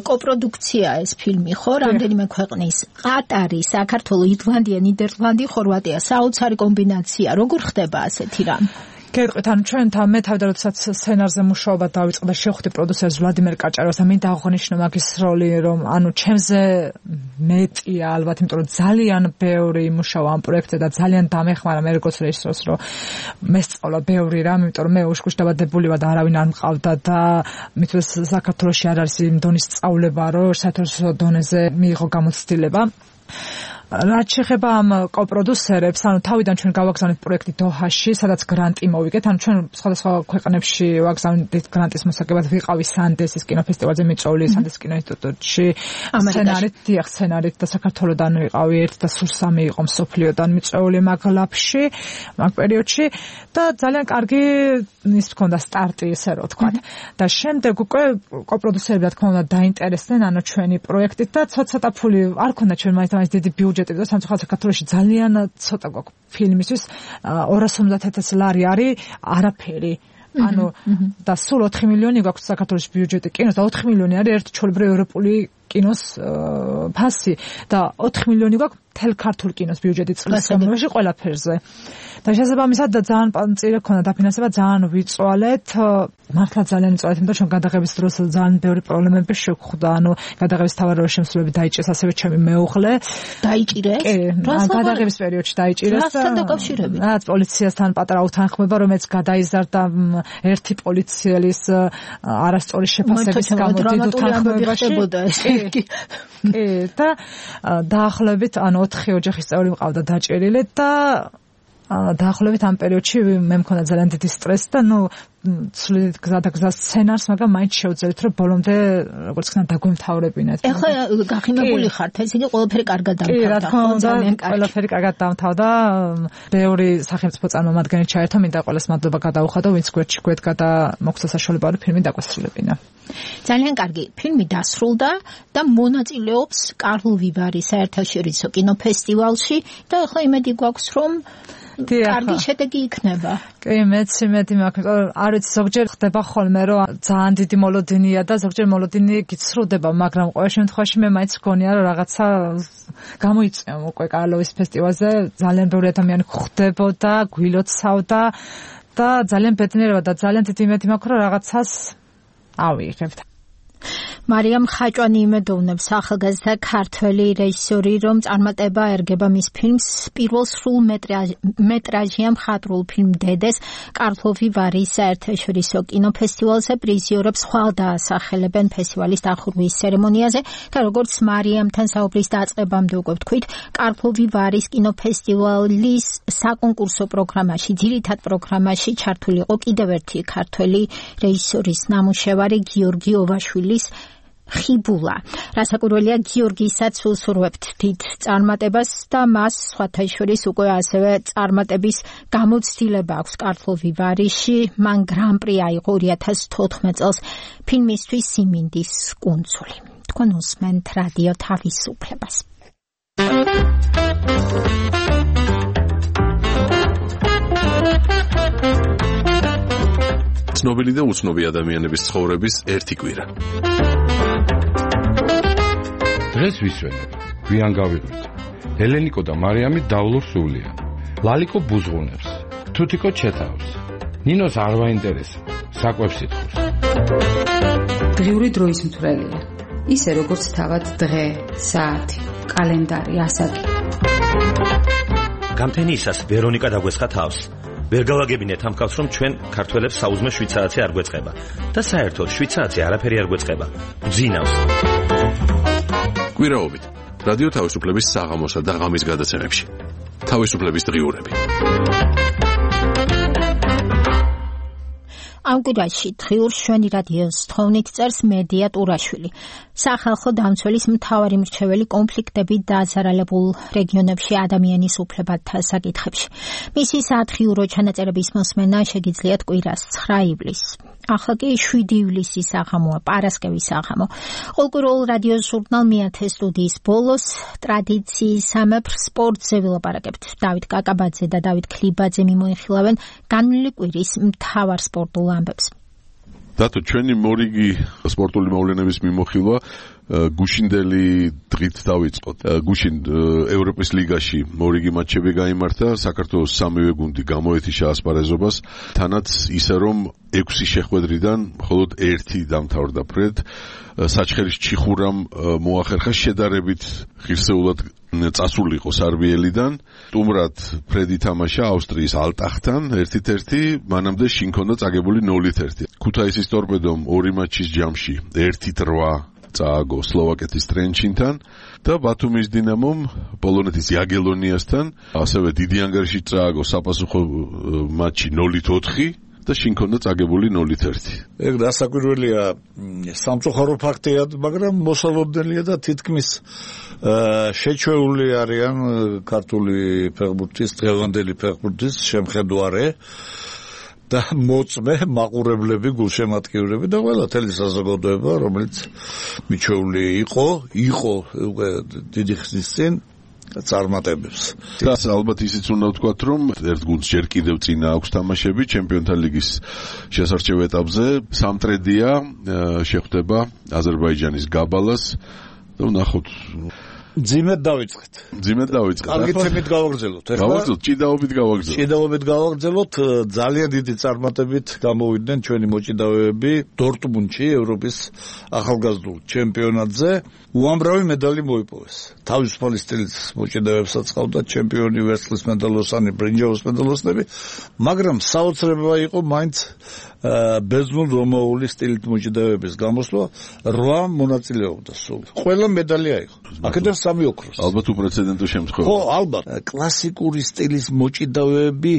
კოპროდუქცია ეს ფილმი ხო რამდენიმე ქვეყნის ყატარი საქართველო ირლანდია ნიდერლანდი ხორვატია საოცარი კომბინაცია როგორ ხდება ასეთი რამ გეტყვით ანუ ჩვენთან მე თავდა როდესაც სცენარზე მუშაობა დავიწყე და შევხვდი პროდიუსერს ვლადიმერ კაჭაროვს და მინდა აღვნიშნო მაგის როლი რომ ანუ ჩემზე მეტია ალბათ იმიტომ რომ ძალიან ბევრი მუშაობა ამ პროექტზე და ძალიან დამეხმარა მე როგორც რეჟისორს რომ მესწავლა ბევრი რამ იმიტომ რომ მე უშკუშ დაბადებული ვარ და არავინ არ მყავდა და მithles საქართველოში არ არის იმ დონის სწავლება რომ საერთაშორისო დონეზე მიიღო გამოცდილება რაც შეეხება ამ კოპროდუსერებს, ანუ თავიდან ჩვენ გავაგზავნეთ პროექტი დოჰაში, სადაც გრანტი მოვიგეთ, ანუ ჩვენ სხვადასხვა ქვეყნებში ვაგზავნეთ გრანტის მოსაგებად, ვიყავი სანდესის კინოფესტივალზე მიწვეული, სანდესის კინოინსტიტუტში, სცენარით, დიახ, სცენარით და საქართველოდან ვიყავი ერთ და სულ სამი იყო მსოფლიოდან მიწვეული მაგ ლაფში, მაგ პერიოდში და ძალიან კარგი ის მქონდა სტარტი, ესე რომ ვთქვათ. და შემდეგ უკვე კოპროდუსერები, რა თქმა უნდა, დაინტერესდნენ ანუ ჩვენი პროექტით და ცოტა-ცოტა ფული არ ქონდა ჩვენ მაინც დიდი ბიუჯეტი და სამწუხაროდ საქართველოში ძალიან ცოტა გვაქვს ფილმისთვის ორას ოცდაათ ათასი ლარი არის არაფერი ანუ და სულ ოთხი მილიონი გვაქვს საქართველოს ბიუჯეტი კინოს და ოთხი მილიონი არის ერთ ჩვეულებრივ ევროპული კინოს ფასი და ოთხი მილიონი გვაქვს მთელ ქართულ კინოს ბიუჯეტი წლის განმავლობაში ყველაფერზე და შესაბამისად და ძალიან წირე ქონდა დაფინანსება ძალიან ვიწვალეთ მართლა ძალიან ვიწვალეთ იმიტომ რომ გადაღების დროს ძალიან ბევრი პრობლემები შეგვხვდა ანუ გადაღების თავაროა შემსრულებელი დაიჭირეს ასევე ჩემი მეუღლე დაიჭირეს გადაღების პერიოდში დაიჭირეს რასთან დაკავშირებით რაც პოლიციასთან პატარა უთანხმოება რომელიც გადაიზარდა ერთი პოლიციელის არასწორი შეფასების გამო დიდ უთანხმოებაში კი და დაახლოებით ანუ ოთხი ოჯახის წევრი მყავდა დაჭერილი და დაახლოებით ამ პერიოდში მე მქონდა ძალიან დიდი სტრესი და ნუ ცვლით გზა და გზა სცენარს, მაგრამ მაინც შევძელით რომ ბოლომდე როგორც ხნა დაგვემთავრებინათ. ეხლა გახინებული ხართ, ეს იგი ყველაფერი კარგად დამთავრდა. ძალიან კარგი. ყველაფერი კარგად დამთავრდა. ბევრი სახელმწიფო წარმომადგენელი ჩაერთო, მინდა ყველას მადლობა გადაუხადო, ვინც გვერდში გვედგა და მოგვცა საშუალება რომ ფილმი დაგვასრულებინა. ძალიან კარგი. ფილმი დასრულდა და მონაწილეობს კარლ ვივარი საერთაშორისო კინოფესტივალში და ეხლა იმედი გვაქვს რომ კარგი შედეგი იქნება. კი, მეც იმედი მაქვს, არ ვიცი, ზოგჯერ ხდება ხოლმე, რომ ძალიან დიდი მოლოდინია და ზოგჯერ მოლოდინი გიცრუდება, მაგრამ ყოველ შემთხვევაში მე მაინც მგონია, რომ რაღაცა გამოიწვია უკვე კარლოვის ფესტივალზე, ძალიან ბევრი ადამიანი ხვდებოდა, გვილოცავდა და ძალიან ბედნიერება და ძალიან დიდი იმედი მაქვს, რომ რაღაცას ავიღებთ. მარიამ ხაჭვანი იმედოვნებს ახალგაზრდა ქართველი რეჟისორი რომ წარმატება ერგება მის ფილმს პირველ სრულ მეტრაჟიან მხატვრულ ფილმ დედეს კარლოვი ვარის საერთაშორისო კინოფესტივალზე პრიზიორებს ხვალ დაასახელებენ ფესტივალის დახურვის ცერემონიაზე და როგორც მარიამთან საუბრის დაწყებამდე უკვე ვთქვით კარლოვი ვარის კინოფესტივალის საკონკურსო პროგრამაში ძირითად პროგრამაში ჩართული იყო კიდევ ერთი ქართველი რეჟისორის ნამუშევარი გიორგი ოვაშვილის ხიბულა. რასაკვირველია გიორგისაც ვსურვებთ დიდ წარმატებას და მას სხვათა შორის უკვე ასევე წარმატების გამოცდილება აქვს კარლოვი ვარიში. მან გრან-პრი აიღო ორი ათას თოთხმეტ წელს ფილმისთვის სიმინდის კუნძული. თქვენ უსმენთ რადიო თავისუფლებას. ცნობილი და უცნობი ადამიანების ცხოვრების ერთი კვირა. დღეს ვისვენებ, გვიან გავიღვით. ელენიკო და მარიამი დავლურ სულიან. ლალიკო ბუზღუნებს, თუთიკო ჩეთავს. ნინოს არ ვაინტერესა, საკვებს ითხოვს. დღიური დროის მთვრელია. ისე როგორც თავად დღე, საათი, კალენდარი, ასაკი. გამთენიისას ვერონიკა დაგვესხა თავს. ვერ გავაგებინეთ ამ კაცს რომ ჩვენ ქართველებს საუზმე შვიცარაცი არ გვეწყება და საერთოდ შვიცარაცი არაფერი არ გვეწყება. გძინავს. კვირაობით რადიო თავისუფლების საღამოსა და ღამის გადაცემებში. თავისუფლების დღიურები. ამ კვირაში დღიურ შვენი რადიოს თხოვნით წერს მედია ტურაშვილი. სახალხო დამცველის მთავარი მრჩეველი კონფლიქტებით დაზარალებულ რეგიონებში ადამიანის უფლებათა საკითხებში. მისი სათხიურო ჩანაწერების მოსმენა შეგიძლიათ კვირას ცხრა ივლისს. ახლა კი შვიდი ივლისის საღამოა, პარასკევის საღამო. ყოველკვირეულ რადიო ჟურნალ მეათე სტუდიის ბოლოს ტრადიციისამებრ სპორტზე ვილაპარაკებთ. დავით კაკაბაძე და დავით ქლიბაძე მიმოიხილავენ განვლილი კვირის მთავარ სპორტულ ამბებს. დათო, ჩვენი მორიგი სპორტული მოვლენების მიმოხილვა გუშინდელი დღით დავიწყოთ. გუშინ ევროპის ლიგაში მორიგი მატჩები გაიმართა, საქართველოს სამივე გუნდი გამოეთიშა ასპარეზობას, თანაც ისე რომ ექვსი შეხვედრიდან მხოლოდ ერთი დამთავრდა ფრედ. საჩხერის ჩიხურამ მოახერხა შედარებით ღირსეულად წასულიყო სარბიელიდან. სტუმრად ფრედი თამაშა ავსტრიის ალტახთან ერთით ერთი, მანამდე შინ ჰქონდა წაგებული ნოლით ერთი. ქუთაისის ტორპედომ ორი მატჩის ჯამში ერთით რვა წააგო სლოვაკეთის ტრენჩინთან და ბათუმის დინამომ პოლონეთის იაგელონიასთან ასევე დიდი ანგარიში წააგო საპასუხო მატჩი ნოლით ოთხი და შინ ჰქონდა წაგებული ნოლით ერთი. ეგ დასაკვირველია, სამწუხარო ფაქტია, მაგრამ მოსალოდნელია და თითქმის შეჩვეული არიან ქართული ფეხბურთის, დღევანდელი ფეხბურთის შემხედვარე და მოწმე მაყურებლები, გულშემატკივრები და ყველა თელი საზოგადოება, რომელიც მიჩვეული იყო, იყო უკვე დიდი ხნის წინ წარმატებებს. და ალბათ ისიც უნდა ვთქვათ, რომ ერთ გუნდს ჯერ კიდევ წინა აქვს თამაშები ჩემპიონთა ლიგის შესარჩევ ეტაპზე. სამტრედია შეხვდება აზერბაიჯანის გაბალას და ვნახოთ. ძიმედ დავიწყეთ. ძიმედ დავიწყეთ. კარგი თემით გავაგრძელოთ. გავაგრძელოთ, ჭიდაობით გავაგრძელოთ. ჭიდაობით გავაგრძელოთ. ძალიან დიდი წარმატებით გამოვიდნენ ჩვენი მოჭიდავეები დორტმუნდში ევროპის ახალგაზრდულ ჩემპიონატზე. უამრავი медаლი მოიპოვეს. თავისუფალი სტილის მოჭიდავეებსაც ყავდა ჩემპიონი, ვერცხლის მედალოსანი, ბრინჯაოს მედალოსნები, მაგრამ საოცრება იყო მაინც ბერძნულ რომაული სტილით მოჭიდავეების გამოსვლა. რვა მონაწილეობდა სულ. ყველა медаლი აიღო. აქედან სამი ოქროს. ალბათ უპრეცედენტო შემთხვევა. ხო, ალბათ. კლასიკური სტილის მოჭიდავეები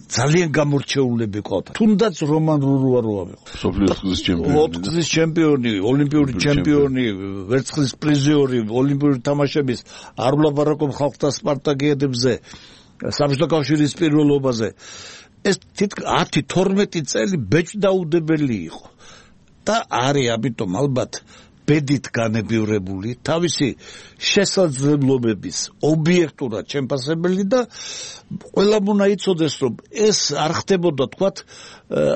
ძალიან გამორჩეულები ყავდა. თუნდაც რომან რურუა რო ავიღო. სოფლიოს ჩემპიონი. ოთხგზის ჩემპიონი, ოლიმპიური ჩემპიონი, ვერცხლის პრიზიორი, ოლიმპიური თამაშების არ ვლაპარაკობ ხალხთა სპარტაკიადებზე, საბჭოთა კავშირის პირველობაზე. ეს თითქოს ათი თორმეტი წელი ბეჭდაუდებელი იყო და არის ამიტომ ალბათ ბედით განებივრებული, თავისი შესაძლებლობების ობიექტურად შემფასებელი და ყველა უნდა იცოდეს, რომ ეს არ ხდებოდა, თქვათ,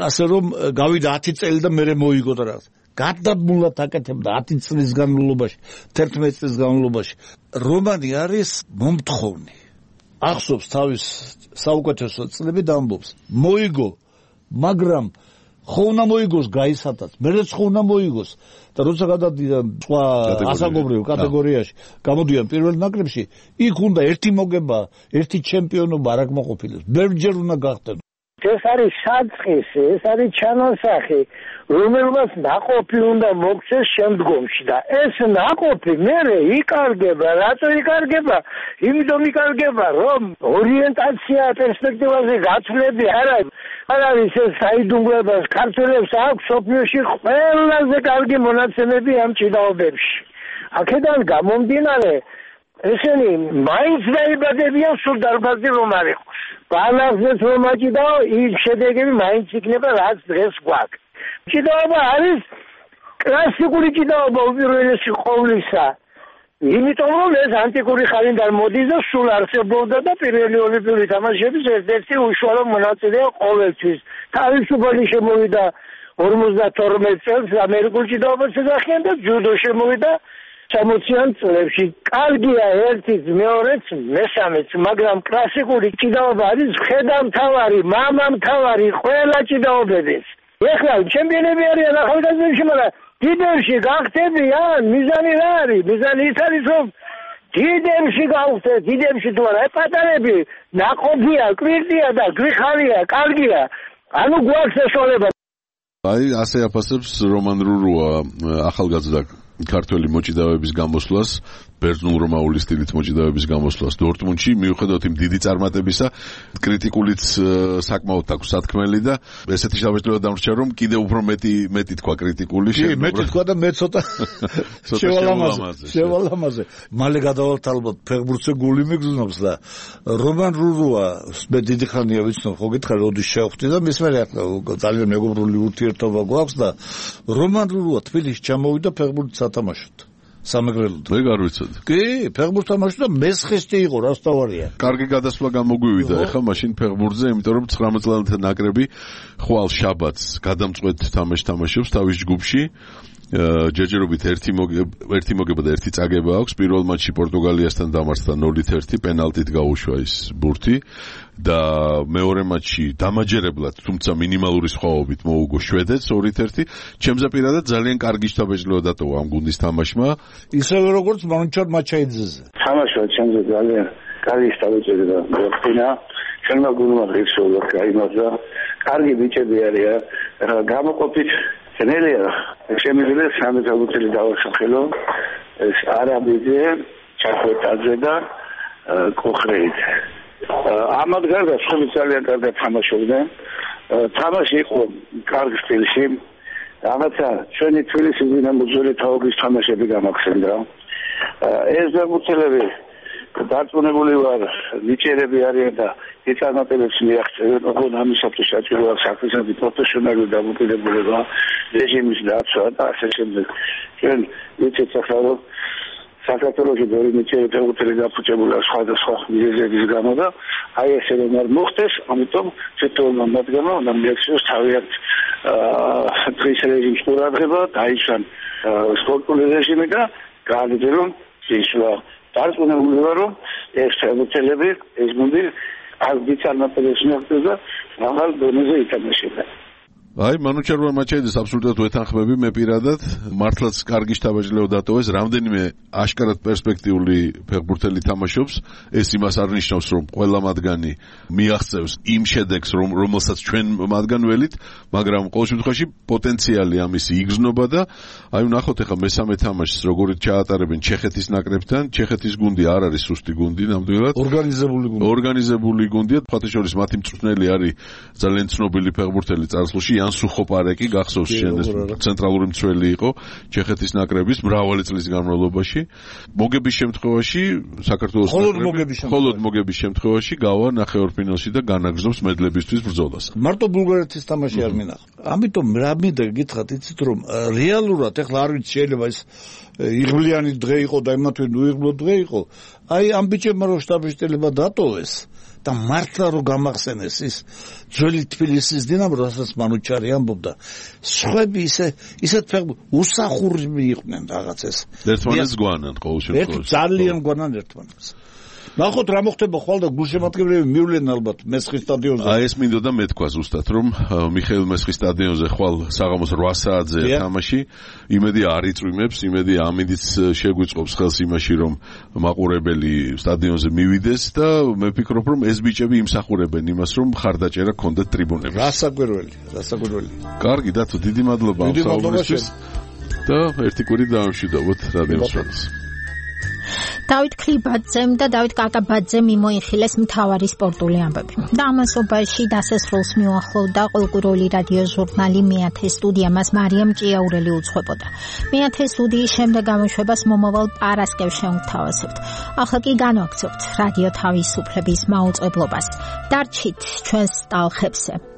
ასე რომ გავიდა ათი წელი და მერე მოიგო და რაღაც. გადაბმულად აკეთებდა ათი წლის განმავლობაში, თერთმეტი წლის განმავლობაში. რომანი არის მომთხოვნი. ახსოვს თავის საუკეთესო წლები და ამბობს, მოიგო, მაგრამ ხო უნდა მოიგოს გაისათაც, მერეც ხო უნდა მოიგოს და როცა გადადიან სხვა ასაკობრივ კატეგორიაში, გამოდიან პირველ ნაკრებში, იქ უნდა ერთი მოგება, ერთი ჩემპიონობა არ აკმაყოფილებს, ბევრჯერ უნდა გახდეთ. ეს არის საწყის, ეს არის ჩანასახი, რომელმაც ნაყოფი უნდა მოგცეს შემდგომში და ეს ნაყოფი მერე იკარგება, რატო იკარგება? იმიტომ იკარგება, რომ ორიენტაცია პერსპექტივაზე გაცვლები არ არის. არ არის ეს საიდუმლებას, ქართველებს აქვს სოფლიოში ყველაზე კარგი მონაცემები ამ ჭიდაობებში. აქედან გამომდინარე, ესენი მაინც დაიბადებიან სულ დარბაზი რომ არ იყოს. ბალანსებს რომ აჭიდაო, ის შედეგები მაინც იქნება, რაც დღეს გვაქვს. ჭიდაობა არის კლასიკური ჭიდაობა უპირველესი ყოვლისა. იმიტომ რომ ეს ანტიკური ხანიდან მოდის და სულ არსებობდა და პირველი ოლიმპიური თამაშების ერთ-ერთი უშუალო მონაწილეა ყოველთვის. თავისუფალი შემოვიდა ორმოცდათორმეტ წელს ამერიკულ ჭიდაობას ეძახიან და ჯუდო შემოვიდა სამოციან წლებში. კარგია ერთიც, მეორეც, მესამეც, მაგრამ კლასიკური ჭიდაობა არის ხედამთავარი, მამამთავარი ყველა ჭიდაობების. ეხლა ჩემპიონები არიან ახალგაზრდებში, მაგრამ დიდებში გახდებიან, მიზანი რა არის? მიზანი ის არის, რომ დიდებში გავხდეთ, დიდებში თუ არა, პატარები ნაყოფია, კვირტია და გვიხარია, კარგია. ანუ გვაქვს საშუალება. აი, ასე აფასებს რომან რურუა ახალგაზრდა ქართველი მოჭიდავეების გამოსვლას ბერძნულ-რომაული სტილით მოჭიდავების გამოსვლას დორტმუნდში, მიუხედავად იმ დიდი წარმატებისა, კრიტიკულიც საკმაოდ აქვს სათქმელი და ესეთი შთაბეჭდილება დამრჩა, რომ კიდევ უფრო მეტი მეტი თქვა კრიტიკული კი, მეტი თქვა და მე ცოტა შევალამაზე, შევალამაზე. მალე გადავალთ ალბათ ფეხბურთზე გული მიგზნობს და რომან რურუა მე დიდი ხანია ვიცნობ, ხო გითხარ, როდის შევხვდი და მის მერე ძალიან მეგობრული ურთიერთობა გვაქვს და რომან რურუა თბილისში ჩამოვიდა ფეხბურთს ათამაშოთ. სამეგრელოდ. მე არ ვიცოდი. კი, ფეხბურთს თამაშობდა მესხისტი იყო, რას თავარია. კარგი გადასვლა გამოგვივიდა ახლა მაშინ ფეხბურთზე, იმიტომ რომ ცხრამეტ წლიანი ნაკრები ხვალ შაბათს გადამწყვეტ თამაშს თამაშობს თავის ჯგუფში. ჯერჯერობით ერთი ერთი მოგება და ერთი წაგება აქვს. პირველ მატჩში პორტუგალიასთან დამარცხდა ნოლით ერთი, პენალტით გაუშვა ის ბურთი და მეორე მატჩში დამაჯერებლად, თუმცა მინიმალური სხვაობით მოუგო შვედეთს ორით ერთი. ჩემზე პირადად ძალიან კარგი შთაბეჭდილება დატოვა ამ გუნდის თამაშმა. ისევე როგორც მანუჩარ მაჩაიძეზე. თამაშმა ჩემზე ძალიან კარგი შთაბეჭდილება მოახდინა. ჩვენმა გუნდმა ღირსეულად გაიმარჯვა. კარგი ბიჭები არიან. გამოყოფით ნელია, შემიძლია სამი წელი დავასახელო, ეს არაბიძე, ჩახვეტაძე და კოხრეიძე. ამათ გარდა სხვები ძალიან კარგად თამაშობდნენ. თამაში იყო კარგ სტილში. რაღაცა ჩვენი თბილისის დინამოძველი თაობის თამაშები გამახსენდა. ეს ფეხბურთელები დარწმუნებული ვარ, ნიჭიერები არიან და იწარმოებებს მიაღწევენ, ოღონდ ამისათვის საჭიროა საქმისადმი პროფესიონალური დამოკიდებულება, რეჟიმის დაცვა და ასე შემდეგ. ჩვენ ვიცით ახლა რომ საქართველოში ბევრი ნიჭიერი ფეხბურთელი გაფუჭებულია სხვადასხვა მიზეზების გამო და აი ესე რომ არ მოხდეს, ამიტომ თვითონმა მათგანმა უნდა მიაქციოს თავიანთ დღის რეჟიმის ყურადღება, დაიცვან სპორტული რეჟიმი და გააძლიერონ ისვა. დარწმუნებული ვარ, რომ ეს ფეხბურთელები, ეს გუნდი არ ვიცარმოებებს მიაღწევს და მაღალ დონეზე ითამაშება. აი, მანუჩარვა მაჩაიძეს აბსოლუტურად ვეთანხმები მე პირადად, მართლაც კარგი შთაბეჭდილება დატოვეს, რამდენიმე აშკარად პერსპექტიული ფეხბურთელი თამაშობს, ეს იმას არ ნიშნავს, რომ ყველა მათგანი მიაღწევს იმ შედეგს, რომ რომელსაც ჩვენ მათგან ველით, მაგრამ ყოველ შემთხვევაში პოტენციალი ამისი იგრძნობა და აი ვნახოთ ახლა მესამე თამაშს როგორ ჩაატარებენ ჩეხეთის ნაკრებთან. ჩეხეთის გუნდი არ არის სუსტი გუნდი, ნამდვილად. ორგანიზებული გუნდი. ორგანიზებული გუნდია, ფათაშორის მათი მწვრთნელი არის ძალიან ცნობილი ფეხბურთელი წარსულში. ან სუხოპარეკი გახსოვს შენ ეს ცენტრალური მცველი იყო ჩეხეთის ნაკრების მრავალი წლის განმავლობაში. მოგების შემთხვევაში საქართველოს ნაკრები მხოლოდ მოგების შემთხვევაში გავა ნახევარფინალში და განაგრძობს მედლებისთვის ბრძოლას. მარტო ბულგარეთის თამაში არ მინახა. ამიტომ რა მინდა გითხრათ, იცით რომ რეალურად ეხლა არ ვიცი შეიძლება ეს იღბლიანი დღე იყო და იმათვე უიღბლო დღე იყო. აი ამ ბიჭებმა რო შტაბ-შტილება დატოვეს და მართლა რო გამახსენეს ის ძველი თბილისის დინამო, რასაც მანუჩარი ამბობდა, სხვები ისე ისეთ ფეხბურთს უსახურები იყვნენ რაღაც ეს. ერთმანეთს გვანან ყოველ შემთხვევაში. ძალიან გვანან ერთმანეთს. ნახოთ რა მოხდება ხვალ და გულშემატკივრები მივლენ ალბათ მესხის სტადიონზე. აი ეს მინდოდა მეთქვა ზუსტად, რომ მიხეილ მესხის სტადიონზე ხვალ საღამოს რვა საათზე თამაში, იმედი არ იწვიმებს, იმედი ამინდიც შეგვიწყობს ხელს იმაში, რომ მაყურებელი სტადიონზე მივიდეს და მე ვფიქრობ, რომ ეს ბიჭები იმსახურებენ имас, რომ ხარდაჭერა გქონდეთ ტრიბუნებში. რასაკვირველი, რასაკვირველი. კარგი დათო, დიდი მადლობა ამ საუბრისთვის და ერთი კვირი დავამშვიდობოთ რადიოს ფრონტს. დავით ქლიბაძემ და დავით კაკაბაძემ მიმოიხილეს მთავარი სპორტული ამბები. და ამასობაში დასასრულს მიუახლოვდა ყოველკვირეული რადიო ჟურნალი მეათე სტუდია, მას მარიამ ჭიაურელი უძღვებოდა. მეათე სტუდიის შემდეგ გამოშვებას მომავალ პარასკევს შევთავაზებთ. ახლა კი განვაგრძობთ რადიო თავისუფლების მაუწყებლობას. დარჩით ჩვენს ტალხებზე.